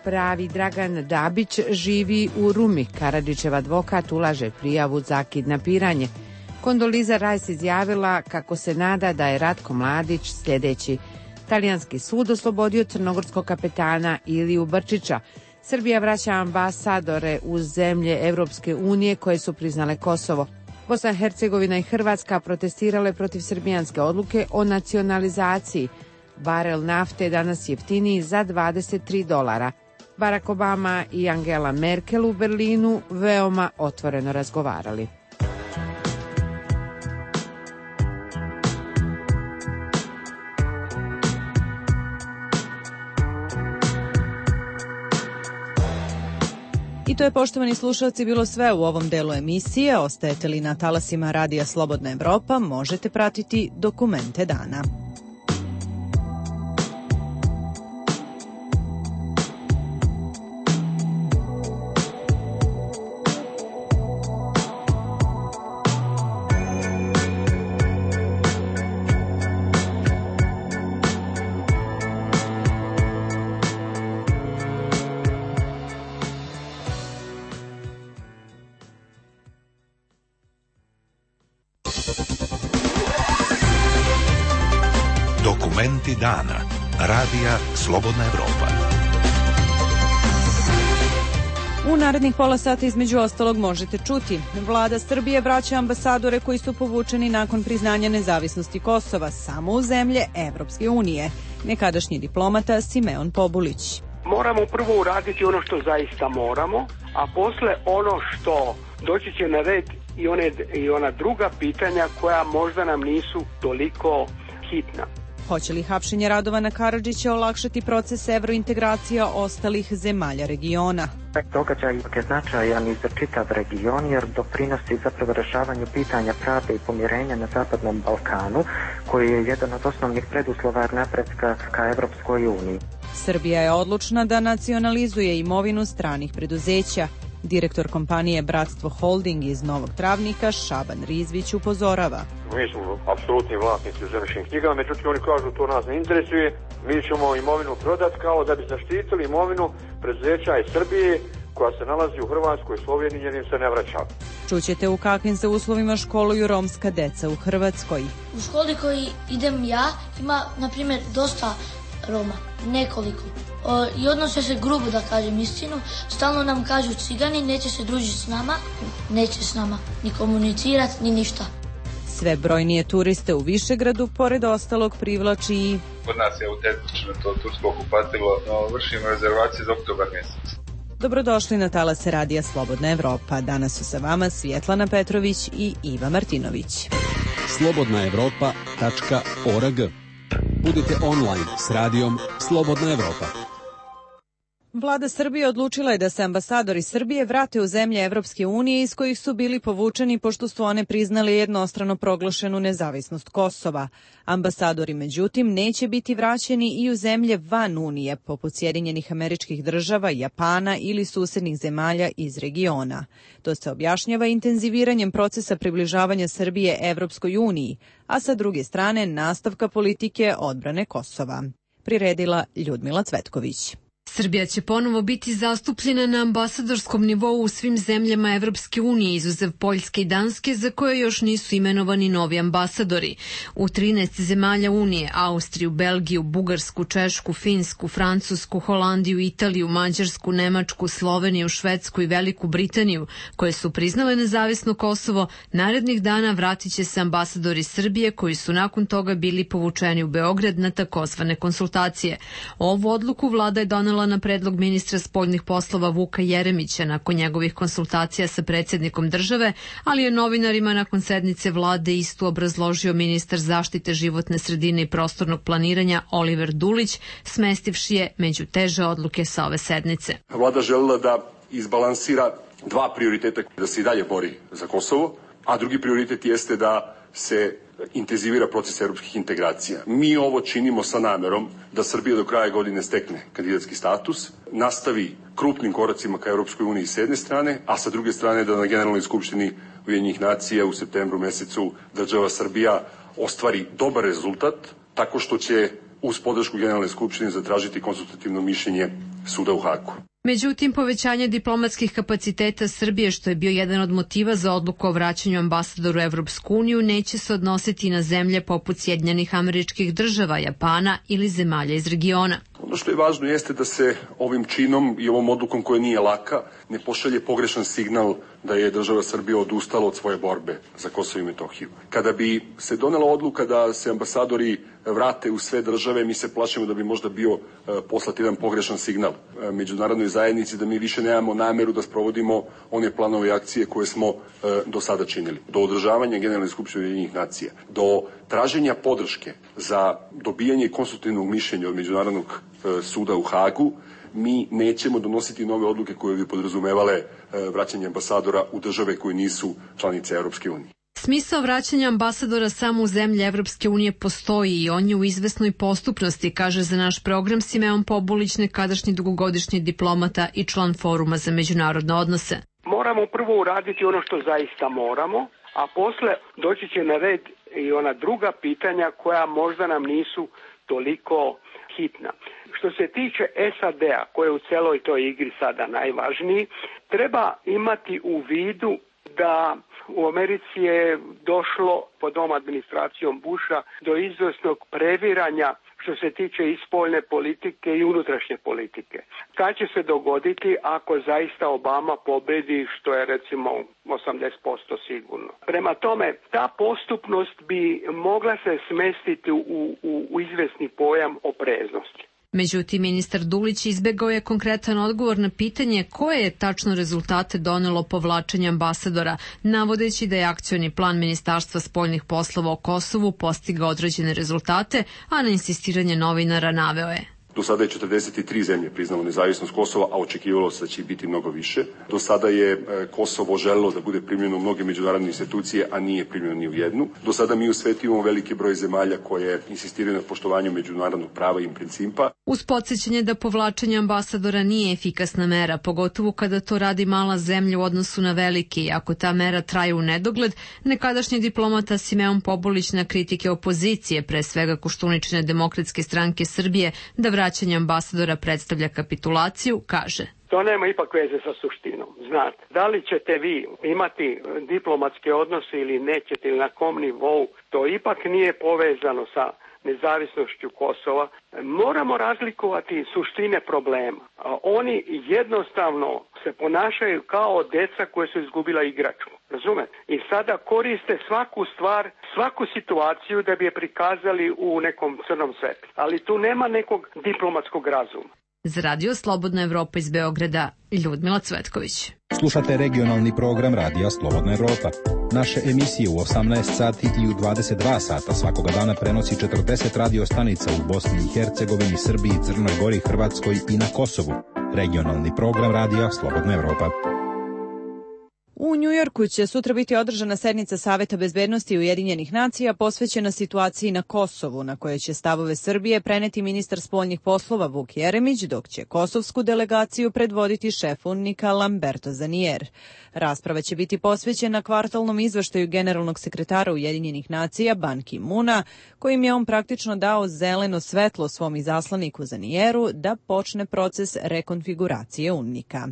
Pravi Dragan Dabić živi u Rumi. Karadžićev advokat ulaže prijavu za kidnapiranje. Kondoliza Rajs izjavila kako se nada da je Ratko Mladić sljedeći. Talijanski sud oslobodio crnogorskog kapetana Iliju Brčića. Srbija vraća ambasadore u zemlje Evropske unije koje su priznale Kosovo. Bosna i Hercegovina i Hrvatska protestirale protiv srbijanske odluke o nacionalizaciji. Barel nafte danas jeftiniji za dvadeset tri dolara. Barack Obama i Angela Merkel u Berlinu veoma otvoreno razgovarali. I to je, poštovani slušalci, bilo sve u ovom delu emisije. Ostajete li na talasima Radija Slobodna Evropa, možete pratiti dokumente dana. Dokumenti dana. Radija Slobodna Evropa. U narednih pola sata između ostalog možete čuti. Vlada Srbije vraća ambasadore koji su povučeni nakon priznanja nezavisnosti Kosova samo u zemlje Evropske unije. Nekadašnji diplomata Simeon Pobulić. Moramo prvo uraditi ono što zaista moramo, a posle ono što doći će na red i, one, i ona druga pitanja koja možda nam nisu toliko hitna. Hoće li hapšenje Radovana Karadžića olakšati proces evrointegracija ostalih zemalja regiona? Događaj je značajan i za čitav region jer doprinosi zapravo rešavanju pitanja pravde i pomirenja na Zapadnom Balkanu, koji je jedan od osnovnih preduslova napretka ka Evropskoj uniji. Srbija je odlučna da nacionalizuje imovinu stranih preduzeća. Direktor kompanije Bratstvo Holding iz Novog Travnika Šaban Rizvić upozorava. Mi smo apsolutni vlasnici u zemljišnim knjigama, međutim oni kažu to nas ne interesuje, mi ćemo imovinu prodati kao da bi zaštitili imovinu preduzeća iz Srbije koja se nalazi u Hrvatskoj, Sloveniji, jer im se ne vraća. Čućete u kakvim se uslovima školuju romska deca u Hrvatskoj. U školi koji idem ja ima, na primjer, dosta Roma, nekoliko. O, I odnose se grubo, da kažem istinu. Stalno nam kažu cigani, neće se družiti s nama, neće s nama ni komunicirati, ni ništa. Sve brojnije turiste u Višegradu, pored ostalog, privlači i... Kod nas je autentično to tursko kupatilo, no vršimo rezervacije za oktobar mjesec. Dobrodošli na talase Radija Slobodna Evropa. Danas su sa vama Svjetlana Petrović i Iva Martinović. slobodna evropa tačka org. Budite online s radijom Slobodna Evropa. Vlada Srbije odlučila je da se ambasadori Srbije vrate u zemlje Evropske unije iz kojih su bili povučeni pošto su one priznali jednostrano proglašenu nezavisnost Kosova. Ambasadori, međutim, neće biti vraćeni i u zemlje van Unije, poput Sjedinjenih Američkih Država, Japana ili susednih zemalja iz regiona. To se objašnjava intenziviranjem procesa približavanja Srbije Evropskoj uniji, a sa druge strane nastavka politike odbrane Kosova. Priredila Ljudmila Cvetković. Srbija će ponovo biti zastupljena na ambasadorskom nivou u svim zemljama Evropske unije, izuzev Poljske i Danske, za koje još nisu imenovani novi ambasadori. U trinaest zemalja Unije, Austriju, Belgiju, Bugarsku, Češku, Finsku, Francusku, Holandiju, Italiju, Mađarsku, Nemačku, Sloveniju, Švedsku i Veliku Britaniju, koje su priznale nezavisno Kosovo, narednih dana vratit će se ambasadori Srbije koji su nakon toga bili povučeni u Beograd na takozvane konsultacije. Ovu odluku vlada je donela na predlog ministra spoljnih poslova Vuka Jeremića nakon njegovih konsultacija sa predsjednikom države, ali je novinarima nakon sednice vlade istu obrazložio ministar zaštite životne sredine i prostornog planiranja Oliver Dulić, smestivši je među teže odluke sa ove sednice. Vlada želela da izbalansira dva prioriteta, da se i dalje bori za Kosovo, a drugi prioritet jeste da se intenzivira proces evropskih integracija. Mi ovo činimo sa namerom da Srbija do kraja godine stekne kandidatski status, nastavi krupnim koracima ka Evropskoj uniji s jedne strane, a sa druge strane da na Generalnoj skupštini Ujedinjenih nacija u septembru mesecu država Srbija ostvari dobar rezultat tako što će uz podršku Generalne skupštine zatražiti konsultativno mišljenje suda u Hagu. Međutim, povećanje diplomatskih kapaciteta Srbije, što je bio jedan od motiva za odluku o vraćanju ambasadoru u Evropsku uniju, neće se odnositi na zemlje poput Sjedinjenih Američkih Država, Japana ili zemalja iz regiona. Ono što je važno jeste da se ovim činom i ovom odlukom koja nije laka ne pošalje pogrešan signal da je država Srbija odustala od svoje borbe za Kosovo i Metohiju. Kada bi se donela odluka da se ambasadori vrate u sve države, mi se plašimo da bi možda bio uh, poslat jedan pogrešan signal uh, međunarodnoj zajednici da mi više nemamo nameru da sprovodimo one planove i akcije koje smo uh, do sada činili. Do održavanja Generalne skupštine Ujedinjenih nacija, do traženja podrške za dobijanje konsultativnog mišljenja od Međunarodnog uh, suda u Hagu, mi nećemo donositi nove odluke koje bi podrazumevale uh, vraćanje ambasadora u države koje nisu članice Evropske unije. Smisao vraćanja ambasadora samo u zemlje Evropske unije postoji i on je u izvesnoj postupnosti, kaže za naš program Simeon Pobulić, nekadašnji dugogodišnji diplomata i član Foruma za međunarodne odnose. Moramo prvo uraditi ono što zaista moramo, a posle doći će na red i ona druga pitanja koja možda nam nisu toliko hitna. Što se tiče S A D-a, koje je u celoj toj igri sada najvažniji, treba imati u vidu da u Americi je došlo pod ovom administracijom Busha do izvrsnog previranja što se tiče i spoljne politike i unutrašnje politike. Šta će se dogoditi ako zaista Obama pobedi, što je recimo osamdeset posto sigurno? Prema tome, ta postupnost bi mogla se smestiti u, u, u izvesni pojam opreznosti. Međutim, ministar Dulić izbegao je konkretan odgovor na pitanje koje je tačno rezultate donelo povlačenje ambasadora, navodeći da je akcioni plan Ministarstva spoljnih poslova o Kosovu postigao određene rezultate, a na insistiranje novinara naveo je: Do sada je četrdeset tri zemlje priznalo nezavisnost Kosova, a očekivalo se da će biti mnogo više. Do sada je Kosovo želelo da bude primljeno u mnoge međunarodne institucije, a nije primljeno ni u jednu. Do sada mi u svetu imamo veliki broj zemalja koje insistiraju na poštovanju međunarodnog prava i principa. Uz podsjećanje da povlačenje ambasadora nije efikasna mera, pogotovo kada to radi mala zemlja u odnosu na velike, i ako ta mera traje u nedogled, nekadašnji diplomata Simeon Pobulić na kritike opozicije, pre svega Koštuničine Demokratske stranke Srbije, da vraćanje ambasadora predstavlja kapitulaciju, kaže: To nema ipak veze sa suštinom. Znate, da li ćete vi imati diplomatske odnose ili nećete, ili na kom nivou, to ipak nije povezano sa nezavisnošću Kosova. Moramo razlikovati suštine problema. Oni jednostavno se ponašaju kao deca koje su izgubila igračku. Razumete? I sada koriste svaku stvar, svaku situaciju da bi je prikazali u nekom crnom svetlu. Ali tu nema nekog diplomatskog razuma. Za Radio Slobodna Evropa iz Beograda, Ljudmila Cvetković. Slušate regionalni program Radija Slobodna Evropa. Naše emisije u osamnaest sati i u dvadeset dva sata svakoga dana prenosi četrdeset radio stanica u Bosni i Hercegovini, Srbiji, Crnoj Gori, Hrvatskoj i na Kosovu. Regionalni program Radija Slobodna Evropa. U Njujorku će sutra biti održana sednica Saveta bezbednosti Ujedinjenih nacija posvećena situaciji na Kosovu, na kojoj će stavove Srbije preneti ministar spoljnih poslova Vuk Jeremić, dok će kosovsku delegaciju predvoditi šef UNMIK-a Lamberto Zanier. Rasprava će biti posvećena kvartalnom izveštaju generalnog sekretara Ujedinjenih nacija Ban Ki-muna, kojim je on praktično dao zeleno svetlo svom izaslaniku Zanieru da počne proces rekonfiguracije UNMIK-a.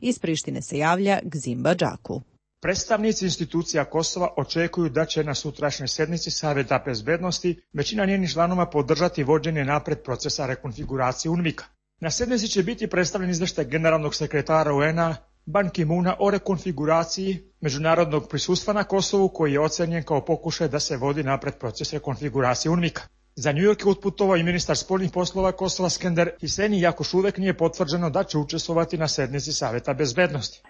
Iz Prištine se javlja Gzimba Džaku. Predstavnici institucija Kosova očekuju da će na sutrašnjoj sednici Saveta bezbednosti većina njenih članova podržati vođenje napred procesa rekonfiguracije UNMIK-a. Na sednici će biti predstavljen izveštaj generalnog sekretara U N-a Ban Ki-muna o rekonfiguraciji međunarodnog prisustva na Kosovu, koji je ocenjen kao pokušaj da se vodi napred proces rekonfiguracije UNMIK-a. Za New York je otputovao i ministar spoljnih poslova Kosova Skender Hiseni, iako još uvek nije potvrđeno da će učestvovati na sednici Saveta bezbednosti.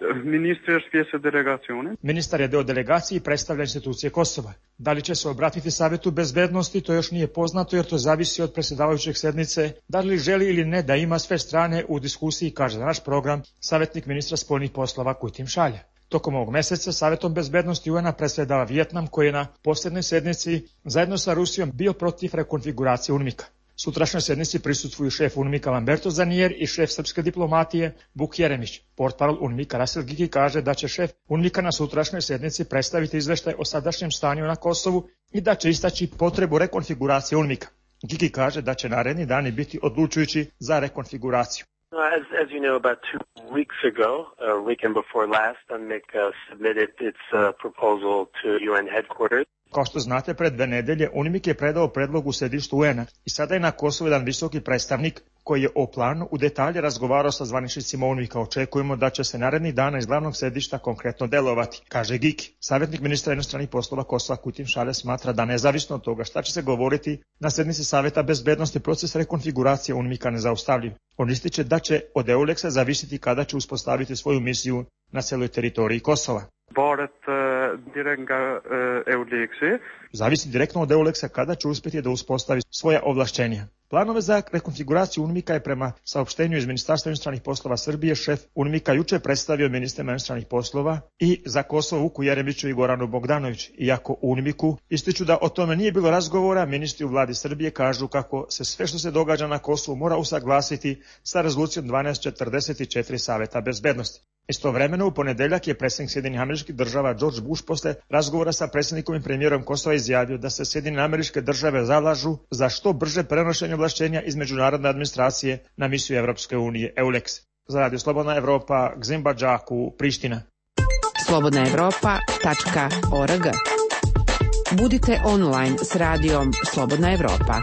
Ministar je deo delegacije i predstavlja institucije Kosova. Da li će se obratiti Savetu bezbednosti, to još nije poznato, jer to zavisi od predsjedavajućeg sednice, da li želi ili ne da ima sve strane u diskusiji, kaže za naš program savjetnik ministra spoljnih poslova Kujtim Šalja. Tokom ovog meseca Savetom bezbednosti U N-a predsjedava Vijetnam, koji je na posljednoj sednici zajedno sa Rusijom bio protiv rekonfiguracije UNMIK-a. Sutrašnjoj sednici prisustvuju šef UNMIK-a Lamberto Zanier i šef srpske diplomatije Vuk Jeremić. Portparol UNMIK-a Rasil Giki kaže da će šef UNMIK-a na sutrašnjoj sednici predstaviti izveštaj o sadašnjem stanju na Kosovu i da će istaći potrebu rekonfiguracije UNMIK-a. Giki kaže da će naredni dani biti odlučujući za rekonfiguraciju. As, as you know, about two weeks ago, a weekend before last, UNMIK uh, submitted its uh, proposal to U N headquarters. Kao što znate, pred dve nedelje UNMIK je predao predlog u sedištu U N-a i sada je na Kosovu jedan visoki predstavnik koji je o planu u detalje razgovarao sa zvaničnicima UNMIK-a. Očekujemo da će se narednih dana iz glavnog sedišta konkretno delovati, kaže Giki. Savjetnik ministra inostranih poslova Kosova Kujtim Šalja smatra da nezavisno od toga šta će se govoriti na sednici Saveta bezbednosti proces rekonfiguracije UNMIK-a nezaustavljiv. On ističe da će od EULEX-a zavisiti kada će uspostaviti svoju misiju na celoj teritoriji Kosova. Zavisi direktno od EULEX-a kada će uspjeti da uspostavi svoja ovlašćenja. Planove za rekonfiguraciju UNMIK-a je prema saopštenju iz Ministarstva inostranih poslova Srbije šef UNMIK-a juče predstavio ministrima inostranih poslova i za Kosovo Vuku Jeremiću i Goranu Bogdanović. Iako u UNMIK-u ističu da o tome nije bilo razgovora, ministri u vladi Srbije kažu kako se sve što se događa na Kosovu mora usaglasiti sa rezolucijom dvanaest četrdeset četiri Saveta bezbednosti. Istovremeno, u ponedeljak je predsjednik Sjedinjenih Američkih Država George Bush posle razgovora sa predsjednikom i premijerom Kosova izjavio da se Sjedinjene Američke Države zalažu za što brže prenošenje ovlašćenja iz međunarodne administracije na misiju Evropske unije EULEX. Za Radio Slobodna Evropa, Gzimba Džaku, Priština. slobodna evropa tačka org. Budite online s radijom Slobodna Evropa.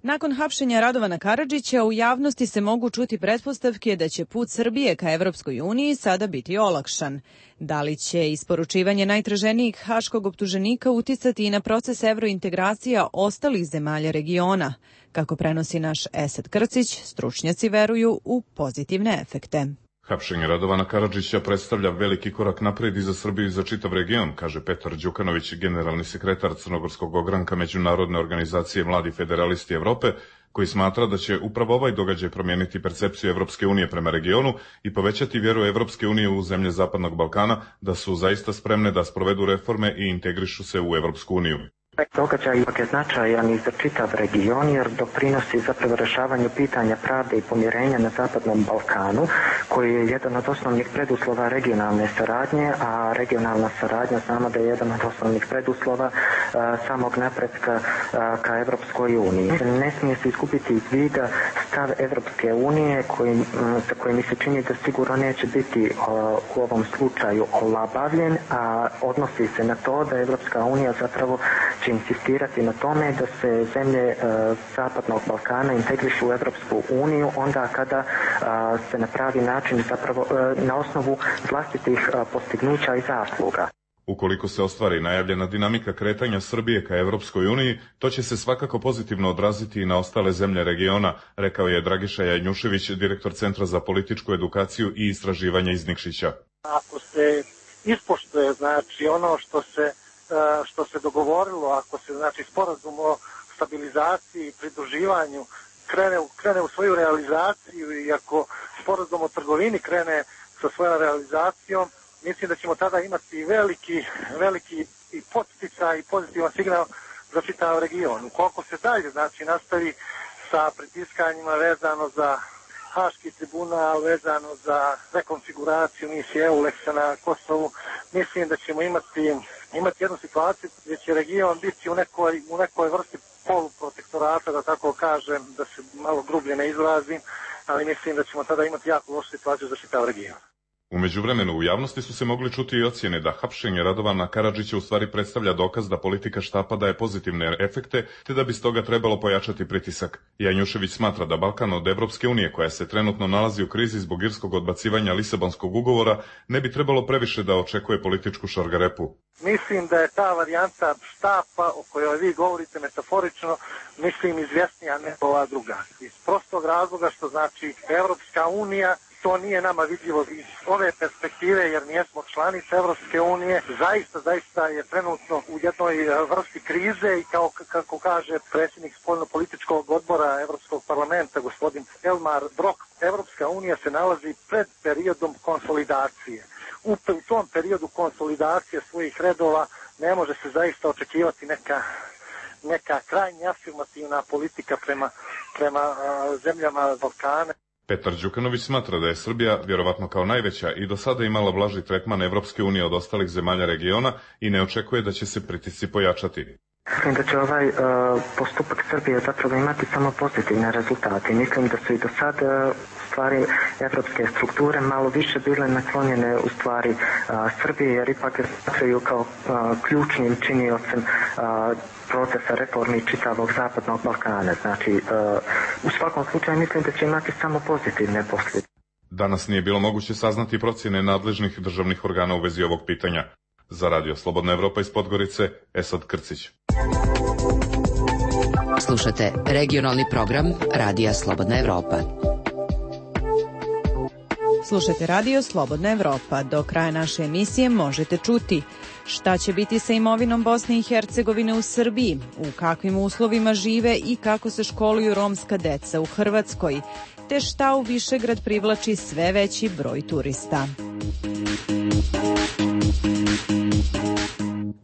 Nakon hapšenja Radovana Karadžića u javnosti se mogu čuti pretpostavke da će put Srbije ka Evropskoj uniji sada biti olakšan. Da li će isporučivanje najtraženijeg haškog optuženika uticati i na proces evrointegracija ostalih zemalja regiona? Kako prenosi naš Esad Krcić, stručnjaci veruju u pozitivne efekte. Hapšenje Radovana Karadžića predstavlja veliki korak napred i za Srbiju i za čitav region, kaže Petar Đukanović, generalni sekretar Crnogorskog ogranka Međunarodne organizacije Mladi federalisti Evrope, koji smatra da će upravo ovaj događaj promijeniti percepciju Evropske unije prema regionu i povećati vjeru Evropske unije u zemlje Zapadnog Balkana da su zaista spremne da sprovedu reforme i integrišu se u Evropsku uniju. Događaj je značajan i za čitav region jer doprinosi zapravo rješavanju pitanja pravde i pomirenja na Zapadnom Balkanu, koji je jedan od osnovnih preduslova regionalne saradnje, a regionalna saradnja znamo da je jedan od osnovnih preduslova a, samog napretka a, ka Evropskoj uniji. Ne smije se izgubiti iz vida stav Evropske unije koji, m, za koji mi se čini da sigurno neće biti a, u ovom slučaju olabavljen, a odnosi se na to da Evropska unija zapravo će insistirati na tome da se zemlje e, Zapadnog Balkana integrišu u Evropsku uniju onda kada a, se na pravi način zapravo e, na osnovu vlastitih a, postignuća i zasluga. Ukoliko se ostvari najavljena dinamika kretanja Srbije ka Evropskoj uniji, to će se svakako pozitivno odraziti i na ostale zemlje regiona, rekao je Dragiša Janjušević, direktor Centra za političku edukaciju i istraživanje iz Nikšića. Ako se ispoštuje znači ono što se što se dogovorilo, ako se znači sporazum o stabilizaciji i pridruživanju krene, krene u svoju realizaciju i ako sporazum o trgovini krene sa svojom realizacijom, mislim da ćemo tada imati veliki, veliki i podsticaj i pozitivan signal za čitav region. Ukoliko se dalje znači nastavi sa pritiskanjima vezano za Haški tribunal, vezano za rekonfiguraciju misije EULEX-a na Kosovu, mislim da ćemo imati imati jednu situaciju gdje će region biti u nekoj, u nekoj vrsti poluprotektorata, da tako kažem, da se malo grublje ne izrazim, ali mislim da ćemo tada imati jako lošu situaciju za čitav region. U međuvremenu u javnosti su se mogli čuti i ocjene da hapšenje Radovana Karadžića u stvari predstavlja dokaz da politika štapa daje pozitivne efekte, te da bi stoga trebalo pojačati pritisak. Janjušević smatra da Balkan od Evropske unije, koja se trenutno nalazi u krizi zbog irskog odbacivanja Lisabonskog ugovora, ne bi trebalo previše da očekuje političku šargarepu. Mislim da je ta varijanta štapa o kojoj vi govorite metaforično, mislim izvjesnija nego ova druga. Iz prostog razloga što znači Evropska unija, to nije nama vidljivo iz ove perspektive jer nijesmo članice Evropske unije. Zaista, zaista je trenutno u jednoj vrsti krize i kao kako kaže predsjednik spoljno-političkog odbora Evropskog parlamenta, gospodin Elmar Brok, Evropska unija se nalazi pred periodom konsolidacije. U tom periodu konsolidacije svojih redova ne može se zaista očekivati neka, neka krajnje afirmativna politika prema, prema a, zemljama Balkana. Petar Đukanović smatra da je Srbija, vjerovatno kao najveća, i do sada imala blaži tretman Evropske unije od ostalih zemalja regiona i ne očekuje da će se pritisci pojačati. Mislim da će ovaj uh, postupak Srbije zapravo imati samo pozitivne rezultate. Mislim da su i do sada uh, stvari evropske strukture malo više bile naklonjene u stvari uh, Srbije, jer ipak smatraju kao uh, ključnim činiocem uh, procesa reformi čitavog Zapadnog Balkana. Znači, uh, u svakom slučaju mislim da će imati samo pozitivne posljedice. Danas nije bilo moguće saznati procjene nadležnih državnih organa u vezi ovog pitanja. Za Radio Slobodna Evropa iz Podgorice, Esad Krcić. Slušate regionalni program Radija Slobodna Evropa. Slušajte Radio Slobodna Evropa. Do kraja naše emisije možete čuti šta će biti sa imovinom Bosne i Hercegovine u Srbiji, u kakvim uslovima žive i kako se školuju romska deca u Hrvatskoj, te šta u Višegrad privlači sve veći broj turista.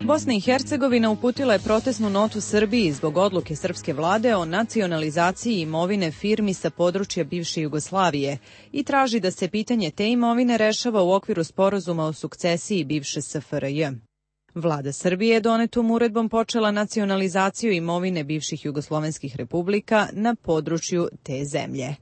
Bosna i Hercegovina uputila je protestnu notu Srbiji zbog odluke srpske vlade o nacionalizaciji imovine firmi sa područja bivše Jugoslavije i traži da se pitanje te imovine rešava u okviru sporazuma o sukcesiji bivše S F R J. Vlada Srbije je donetom uredbom počela nacionalizaciju imovine bivših jugoslovenskih republika na području te zemlje.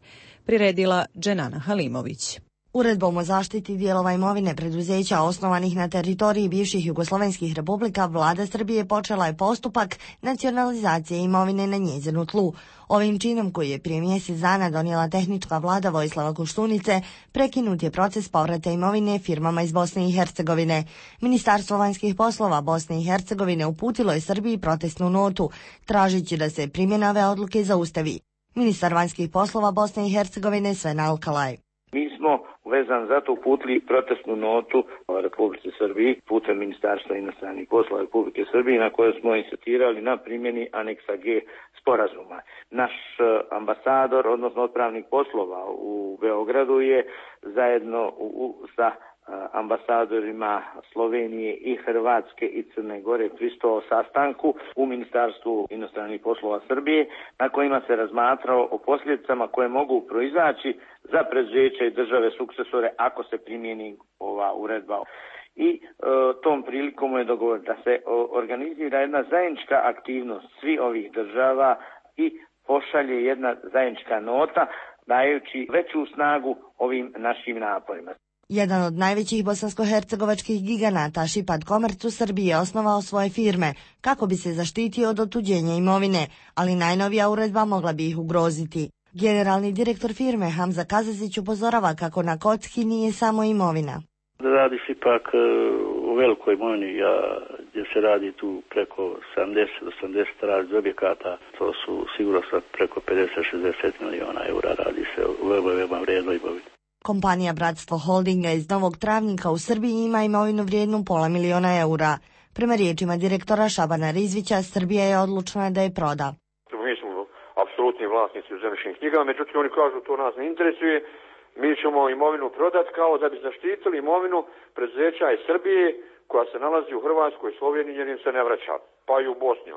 Priredila Dženana Halimović. Uredbom o zaštiti dijelova imovine preduzeća osnovanih na teritoriji bivših jugoslovenskih republika, vlada Srbije počela je postupak nacionalizacije imovine na njezinu tlu. Ovim činom, koji je prije mjesec dana donijela tehnička vlada Vojislava Koštunice, prekinut je proces povrata imovine firmama iz Bosne i Hercegovine. Ministarstvo vanjskih poslova Bosne i Hercegovine uputilo je Srbiji protestnu notu, tražići da se primjena ove odluke zaustavi. Ministar vanjskih poslova Bosne i Hercegovine Sven Alkalaj. Mi smo vezan za to uputili protestnu notu Republici Srbiji putem Ministarstva inostranih poslova Republike Srbije, na kojoj smo insistirali na primjeni aneksa G sporazuma. Naš ambasador, odnosno odpravnik poslova u Beogradu, je zajedno u, sa ambasadorima Slovenije i Hrvatske i Crne Gore pristupio sastanku u Ministarstvu inostranih poslova Srbije, na kojima se razmatralo o posljedicama koje mogu proizaći za preduzeća i države sukcesore ako se primjeni ova uredba. I e, tom prilikom je dogovor da se o, organizira jedna zajednička aktivnost svih ovih država i pošalje jedna zajednička nota, dajući veću snagu ovim našim naporima. Jedan od najvećih bosansko-hercegovačkih giganata, Šipad Komerc, u Srbiji je osnovao svoje firme kako bi se zaštitio od otuđenja imovine, ali najnovija uredba mogla bi ih ugroziti. Generalni direktor firme Hamza Kazazić upozorava kako na kocki nije samo imovina. Radi se ipak u velikoj imovini, ja, gdje se radi tu preko sedamdeset do osamdeset različitih objekata, to su sigurno sad preko pedeset do šezdeset miliona eura, radi se u veoma, veoma vrijednoj imovini. Kompanija Bratstvo Holdinga iz Novog Travnika u Srbiji ima imovinu vrijednu pola miliona eura. Prema riječima direktora Šabana Rizvića, Srbija je odlučna da je proda. Mi smo apsolutni vlasnici u zemljišnim knjigama, međutim oni kažu to nas ne interesuje, mi ćemo imovinu prodati kao da bi zaštitili imovinu preduzeća iz Srbije koja se nalazi u Hrvatskoj i Sloveniji jer im se ne vraća, pa i u Bosni.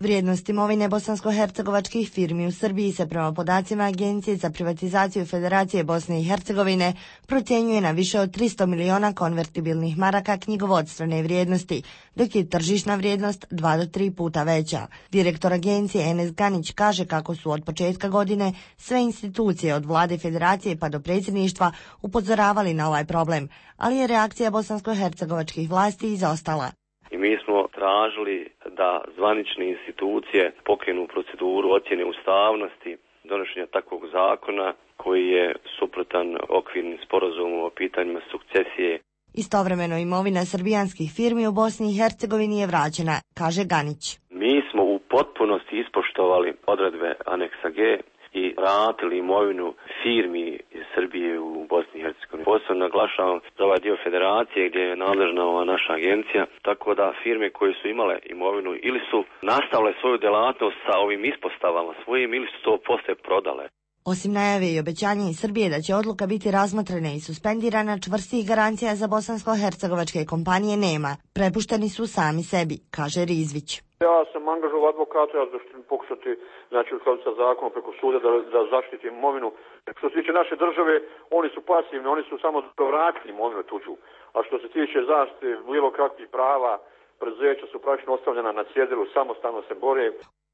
Vrijednost imovine bosansko-hercegovačkih firmi u Srbiji se prema podacima Agencije za privatizaciju Federacije Bosne i Hercegovine procjenjuje na više od tristo miliona konvertibilnih maraka knjigovodstvene vrijednosti, dok je tržišna vrijednost dva do tri puta veća. Direktor agencije Enes Ganić kaže kako su od početka godine sve institucije od vlade Federacije pa do predsjedništva upozoravali na ovaj problem, ali je reakcija bosansko-hercegovačkih vlasti izostala. I mi smo tražili da zvanične institucije pokrenu proceduru ocjene ustavnosti donošenja takvog zakona koji je suprotan okvirnim sporazumom o pitanjima sukcesije. Istovremeno imovina srbijanskih firmi u Bosni i Hercegovini je vraćena, kaže Ganić. Mi smo u potpunosti ispoštovali odredbe aneksa G i vratili imovinu firmi iz Srbije u Bosni i Hercegovini. Posebno naglašavam za ovaj dio federacije gdje je nadležna ova naša agencija, tako da firme koje su imale imovinu ili su nastavile svoju djelatnost sa ovim ispostavama svojim ili su to poslije prodale. Osim najave i obećanja iz Srbije da će odluka biti razmotrena i suspendirana, čvrstih garancija za bosansko-hercegovačke kompanije nema. Prepušteni su sami sebi, kaže Rizvić. Ja sam angažovao advokata, ja ću pokušati, znači u skladu sa zakonom preko suda da, da zaštiti imovinu. Što se tiče naše države, oni su pasivni, oni su samo vratili imovinu tuđu. A što se tiče zaštite bilo kakvih prava, preduzeća su praktično ostavljena na cjedilu, samostalno se bore.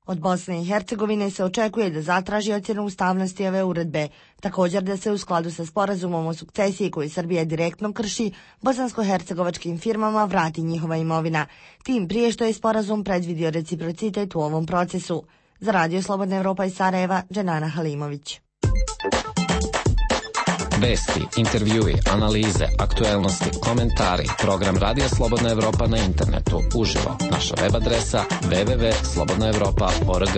Od Bosne i Hercegovine se očekuje da zatraži ocjenu ustavnosti ove uredbe, također da se u skladu sa sporazumom o sukcesiji koji Srbija direktno krši, bosansko-hercegovačkim firmama vrati njihova imovina, tim prije što je sporazum predvidio reciprocitet u ovom procesu. Za Radio Slobodna Evropa iz Sarajeva, Dženana Halimović. Vesti, intervjui, analize, aktuelnosti, komentari, program Radija Slobodna Evropa na internetu, uživo, naša web adresa w w w tačka slobodna evropa tačka org.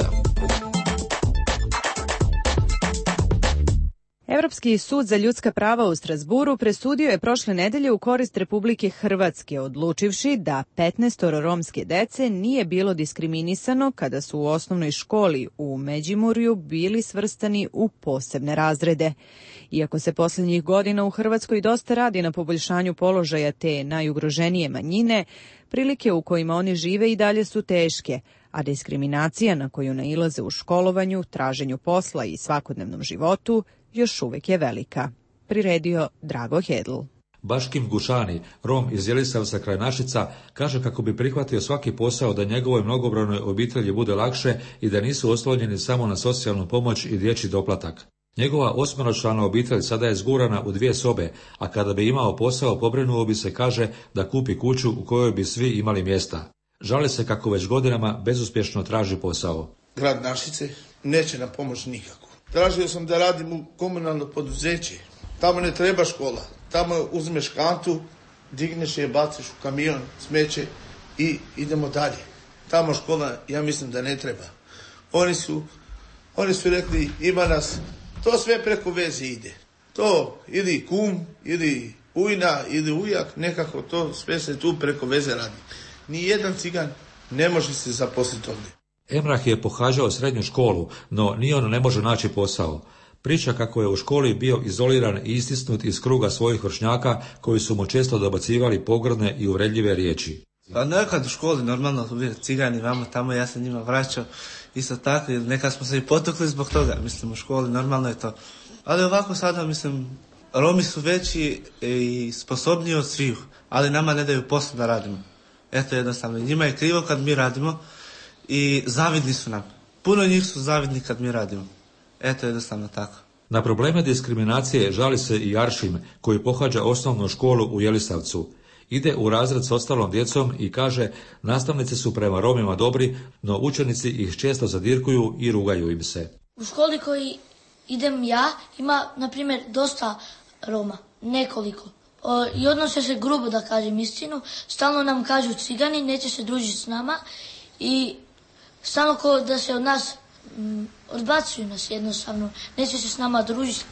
Evropski sud za ljudska prava u Strazburu presudio je prošle nedelje u korist Republike Hrvatske, odlučivši da petnaestoro romske dece nije bilo diskriminisano kada su u osnovnoj školi u Međimurju bili svrstani u posebne razrede. Iako se posljednjih godina u Hrvatskoj dosta radi na poboljšanju položaja te najugroženije manjine, prilike u kojima oni žive i dalje su teške, a diskriminacija na koju nailaze u školovanju, traženju posla i svakodnevnom životu još uvek je velika. Priredio Drago Hedl. Baškim Gušani, Rom iz Jelisavca kraj Našica, kaže kako bi prihvatio svaki posao da njegovoj mnogobrojnoj obitelji bude lakše i da nisu oslonjeni samo na socijalnu pomoć i dječji doplatak. Njegova osmeročlana obitelj sada je zgurana u dvije sobe, a kada bi imao posao pobrinuo bi se, kaže, da kupi kuću u kojoj bi svi imali mjesta. Žali se kako već godinama bezuspješno traži posao. Grad Našice neće nam pomoći nikako. Tražio sam da radim u komunalno poduzeće. Tamo ne treba škola. Tamo uzmeš kantu, digneš je, baciš u kamion, smeće i idemo dalje. Tamo škola, ja mislim da ne treba. Oni su, oni su rekli, ima nas, to sve preko veze ide. To ili kum, ili ujna, ili ujak, nekako to sve se tu preko veze radi. Nijedan cigan ne može se zaposliti ovdje. Emrah je pohađao srednju školu, no ni on ne može naći posao. Priča kako je u školi bio izoliran i istisnut iz kruga svojih vršnjaka koji su mu često dobacivali pogrdne i uvredljive riječi. Pa nekad u školi normalno uvijek cigani vamo tamo, ja sam njima vraćao isto tako, nekad smo se i potukli zbog toga, mislim u školi normalno je to. Ali ovako sada mislim, Romi su veći i sposobniji od svih, ali nama ne daju posao da radimo. Eto jednostavno, njima je krivo kad mi radimo i zavidni su nam. Puno njih su zavidni kad mi radimo. Eto jednostavno tako. Na probleme diskriminacije žali se i Aršim, koji pohađa osnovnu školu u Jelisavcu. Ide u razred s ostalom djecom i kaže, nastavnici su prema Romima dobri, no učenici ih često zadirkuju i rugaju im se. U školi koji idem ja ima, na primjer, dosta Roma, nekoliko. O, I odnose se grubo, da kažem istinu. Stalno nam kažu cigani, neće se družiti s nama i stalno ko da se od nas m, odbacuju nas jednostavno. Neće se s nama družiti,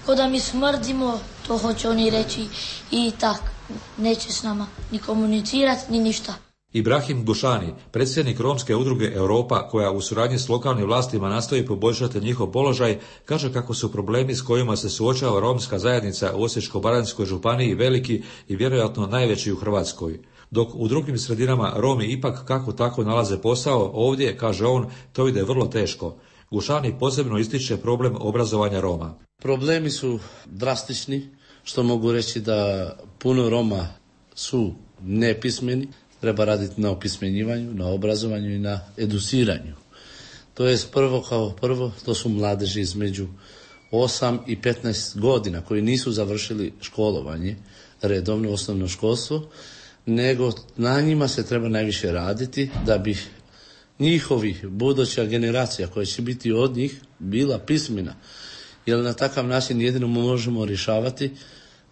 ko da mi smrdimo, to hoće oni reći i tak. Neće s nama ni komunicirati, ni ništa. Ibrahim Gušani, predsjednik Romske udruge Europa, koja u suradnji s lokalnim vlastima nastoji poboljšati njihov položaj, kaže kako su problemi s kojima se suočava romska zajednica u Osječko-baranjskoj županiji veliki i vjerojatno najveći u Hrvatskoj. Dok u drugim sredinama Romi ipak kako tako nalaze posao, ovdje, kaže on, to ide vrlo teško. Gušani posebno ističe problem obrazovanja Roma. Problemi su drastični, što mogu reći da puno Roma su nepismeni. Treba raditi na opismenjivanju, na obrazovanju i na educiranju. To je prvo kao prvo, to su mladeži između osam i petnaest godina koji nisu završili školovanje, redovno osnovno školstvo, nego na njima se treba najviše raditi da bi njihovi buduća generacija koja će biti od njih bila pismena. Jer na takav način jedino možemo rješavati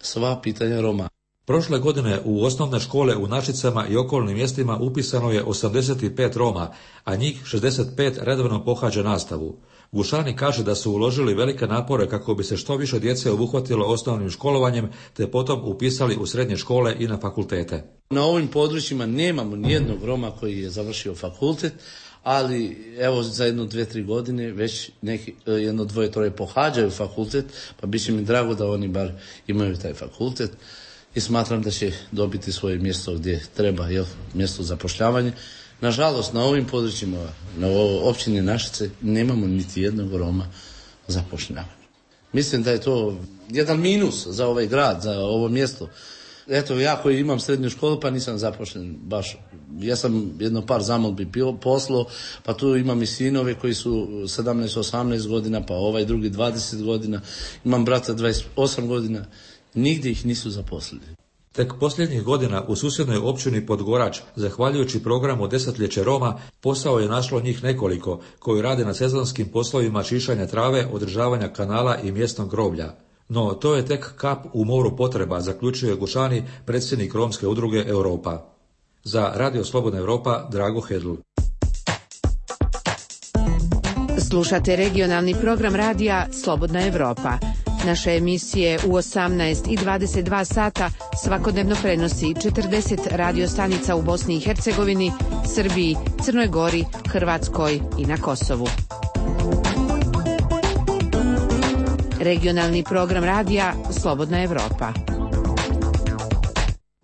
sva pitanja Roma. Prošle godine u osnovne škole u Našicama i okolnim mjestima upisano je osamdeset pet Roma, a njih šezdeset pet redovno pohađa nastavu. Gušani kaže da su uložili velike napore kako bi se što više djece obuhvatilo osnovnim školovanjem, te potom upisali u srednje škole i na fakultete. Na ovim područjima nemamo nijednog Roma koji je završio fakultet, ali evo za jedno, dve, tri godine već neki, jedno, dvoje, troje pohađaju fakultet, pa bit će mi drago da oni bar imaju taj fakultet. I smatram da će dobiti svoje mjesto gdje treba, jel, mjesto zapošljavanja. Nažalost, na ovim područjima, na općini Našice, nemamo niti jednog Roma zapošljavanja. Mislim da je to jedan minus za ovaj grad, za ovo mjesto. Eto, ja koji imam srednju školu, pa nisam zapošljen baš. Ja sam jedno par zamolbi poslao, pa tu imam i sinove koji su sedamnaest osamnaest godina, pa ovaj drugi dvadeset godina. Imam brata dvadeset osam godina. Nigdje ih nisu zaposlili. Tek posljednjih godina u susjednoj općini Podgorač, zahvaljujući programu Desetljeće Roma, posao je našlo njih nekoliko, koji rade na sezonskim poslovima čišćanja trave, održavanja kanala i mjesnog groblja. No, to je tek kap u moru potreba, zaključuje Gušani, predsjednik Romske udruge Europa. Za Radio Slobodna Europa, Drago Hedl. Slušate regionalni program radija Slobodna Europa. Naše emisije u osamnaest i dvadeset dva sata svakodnevno prenosi četrdeset radio stanica u Bosni i Hercegovini, Srbiji, Crnoj Gori, Hrvatskoj i na Kosovu. Regionalni program radija Slobodna Europa.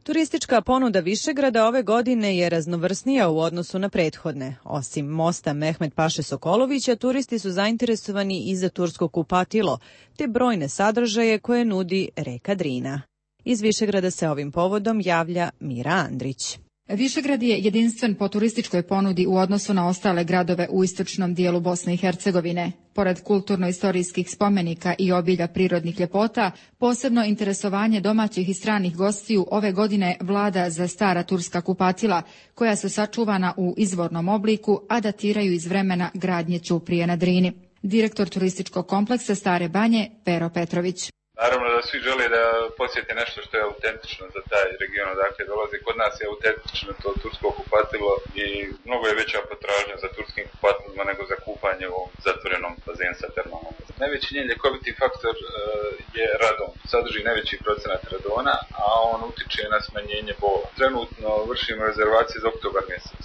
Turistička ponuda Višegrada ove godine je raznovrsnija u odnosu na prethodne. Osim mosta Mehmet Paše Sokolovića, turisti su zainteresovani i za tursko kupatilo, te brojne sadržaje koje nudi reka Drina. Iz Višegrada se ovim povodom javlja Mira Andrić. Višegrad je jedinstven po turističkoj ponudi u odnosu na ostale gradove u istočnom dijelu Bosne i Hercegovine. Pored kulturno-istorijskih spomenika i obilja prirodnih ljepota, posebno interesovanje domaćih i stranih gostiju ove godine vlada za stara turska kupatila, koja su sačuvana u izvornom obliku, a datiraju iz vremena gradnje ćuprije na Drini. Direktor turističkog kompleksa Stare Banje, Pero Petrović. Naravno da svi žele da posjete nešto što je autentično za taj region odakle dolaze. Kod nas je autentično to tursko kupatilo i mnogo je veća potražnja za turskim kupatilima nego za kupanje u zatvorenom bazenu sa termalnom. Najveći njen ljekoviti faktor uh, je radon. Sadrži najveći procenat radona, a on utiče na smanjenje bola. Trenutno vršimo rezervacije za oktobar mjesec.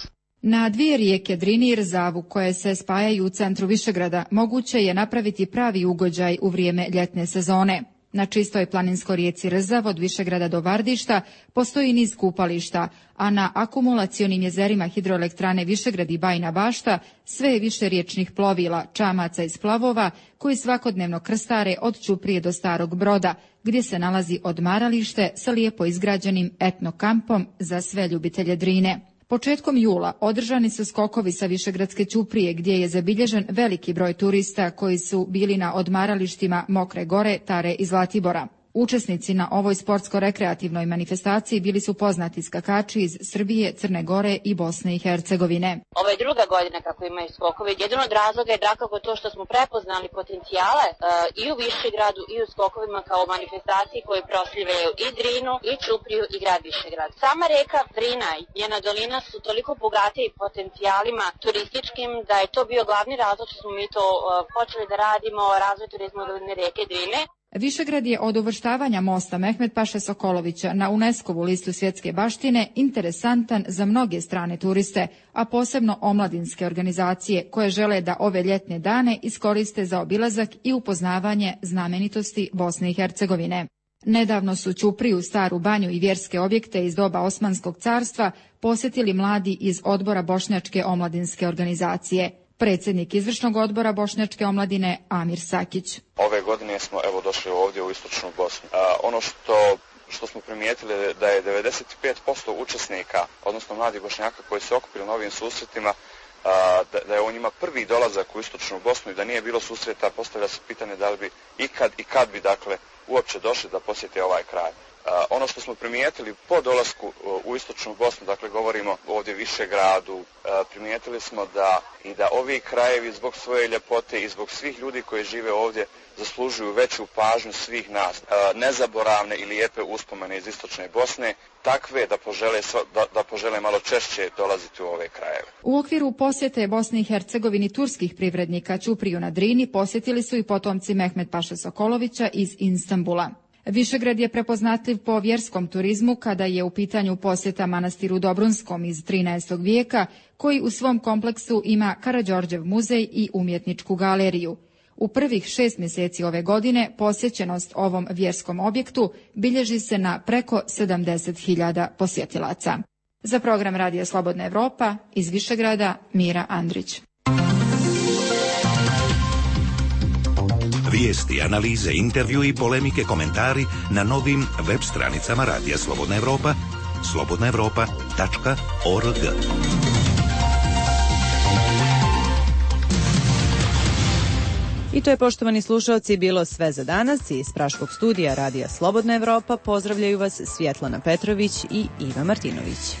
Na dvije rijeke Drini i Rzavu koje se spajaju u centru Višegrada moguće je napraviti pravi ugođaj u vrijeme ljetne sezone. Na čistoj planinskoj rijeci Rzav od Višegrada do Vardišta postoji niz kupališta, a na akumulacionim jezerima hidroelektrane Višegrad i Bajina Bašta sve je više riječnih plovila, čamaca i splavova koji svakodnevno krstare od Ćuprije do Starog Broda, gdje se nalazi odmaralište sa lijepo izgrađenim etno kampom za sve ljubitelje Drine. Početkom jula održani su skokovi sa Višegradske ćuprije gdje je zabilježen veliki broj turista koji su bili na odmaralištima Mokre Gore, Tare i Zlatibora. Učesnici na ovoj sportsko-rekreativnoj manifestaciji bili su poznati skakači iz Srbije, Crne Gore i Bosne i Hercegovine. Ovo je druga godina kako imaju skokove. Jedan od razloga je dakako to što smo prepoznali potencijale uh, i u Višegradu i u skokovima kao manifestaciji koje proslavljaju i Drinu, i Ćupriju, i grad Višegrad. Sama reka Drina i njena dolina su toliko bogate i potencijalima turističkim da je to bio glavni razlog što smo mi to uh, počeli da radimo, razvoj turizma doline reke Drine. Višegrad je od uvrštavanja mosta Mehmet Paše Sokolovića na UNESCO-vu listu svjetske baštine interesantan za mnoge strane turiste, a posebno omladinske organizacije koje žele da ove ljetne dane iskoriste za obilazak i upoznavanje znamenitosti Bosne i Hercegovine. Nedavno su Ćupriju, Staru Banju i vjerske objekte iz doba Osmanskog carstva posjetili mladi iz odbora Bošnjačke omladinske organizacije. Predsjednik izvršnog odbora Bošnjačke omladine Amir Sakić. Ove godine smo evo došli ovdje u istočnu Bosnu. A, ono što što smo primijetili da je devedeset pet posto učesnika, odnosno mladih Bošnjaka koji se okupili na ovim susretima, a, da, da je u njima prvi dolazak u istočnu Bosnu i da nije bilo susreta, postavlja se pitanje da li bi ikad i kad bi dakle uopće došli da posjete ovaj kraj. Uh, ono što smo primijetili po dolasku uh, u istočnu Bosnu, dakle govorimo ovdje Višegradu, uh, primijetili smo da i da ovi krajevi zbog svoje ljepote i zbog svih ljudi koji žive ovdje zaslužuju veću pažnju svih nas. Uh, nezaboravne i lijepe uspomene iz istočne Bosne, takve da požele, da, da požele malo češće dolaziti u ove krajeve. U okviru posjete Bosni i Hercegovini turskih privrednika Ćupriju na Drini posjetili su i potomci Mehmet Paše Sokolovića iz Istanbula. Višegrad je prepoznatljiv po vjerskom turizmu kada je u pitanju posjeta manastiru Dobrunskom iz trinaestog vijeka, koji u svom kompleksu ima Karađorđev muzej i umjetničku galeriju. U prvih šest mjeseci ove godine posjećenost ovom vjerskom objektu bilježi se na preko sedamdeset hiljada posjetilaca. Za program Radija Slobodna Evropa iz Višegrada Mira Andrić. Vijesti, analize, intervju i polemike, komentari na novim web stranicama Radija Slobodna Evropa, slobodna evropa tačka org. I to je, poštovani slušalci, bilo sve za danas. Iz Praškog studija Radija Slobodna Evropa pozdravljaju vas Svjetlana Petrović i Iva Martinović.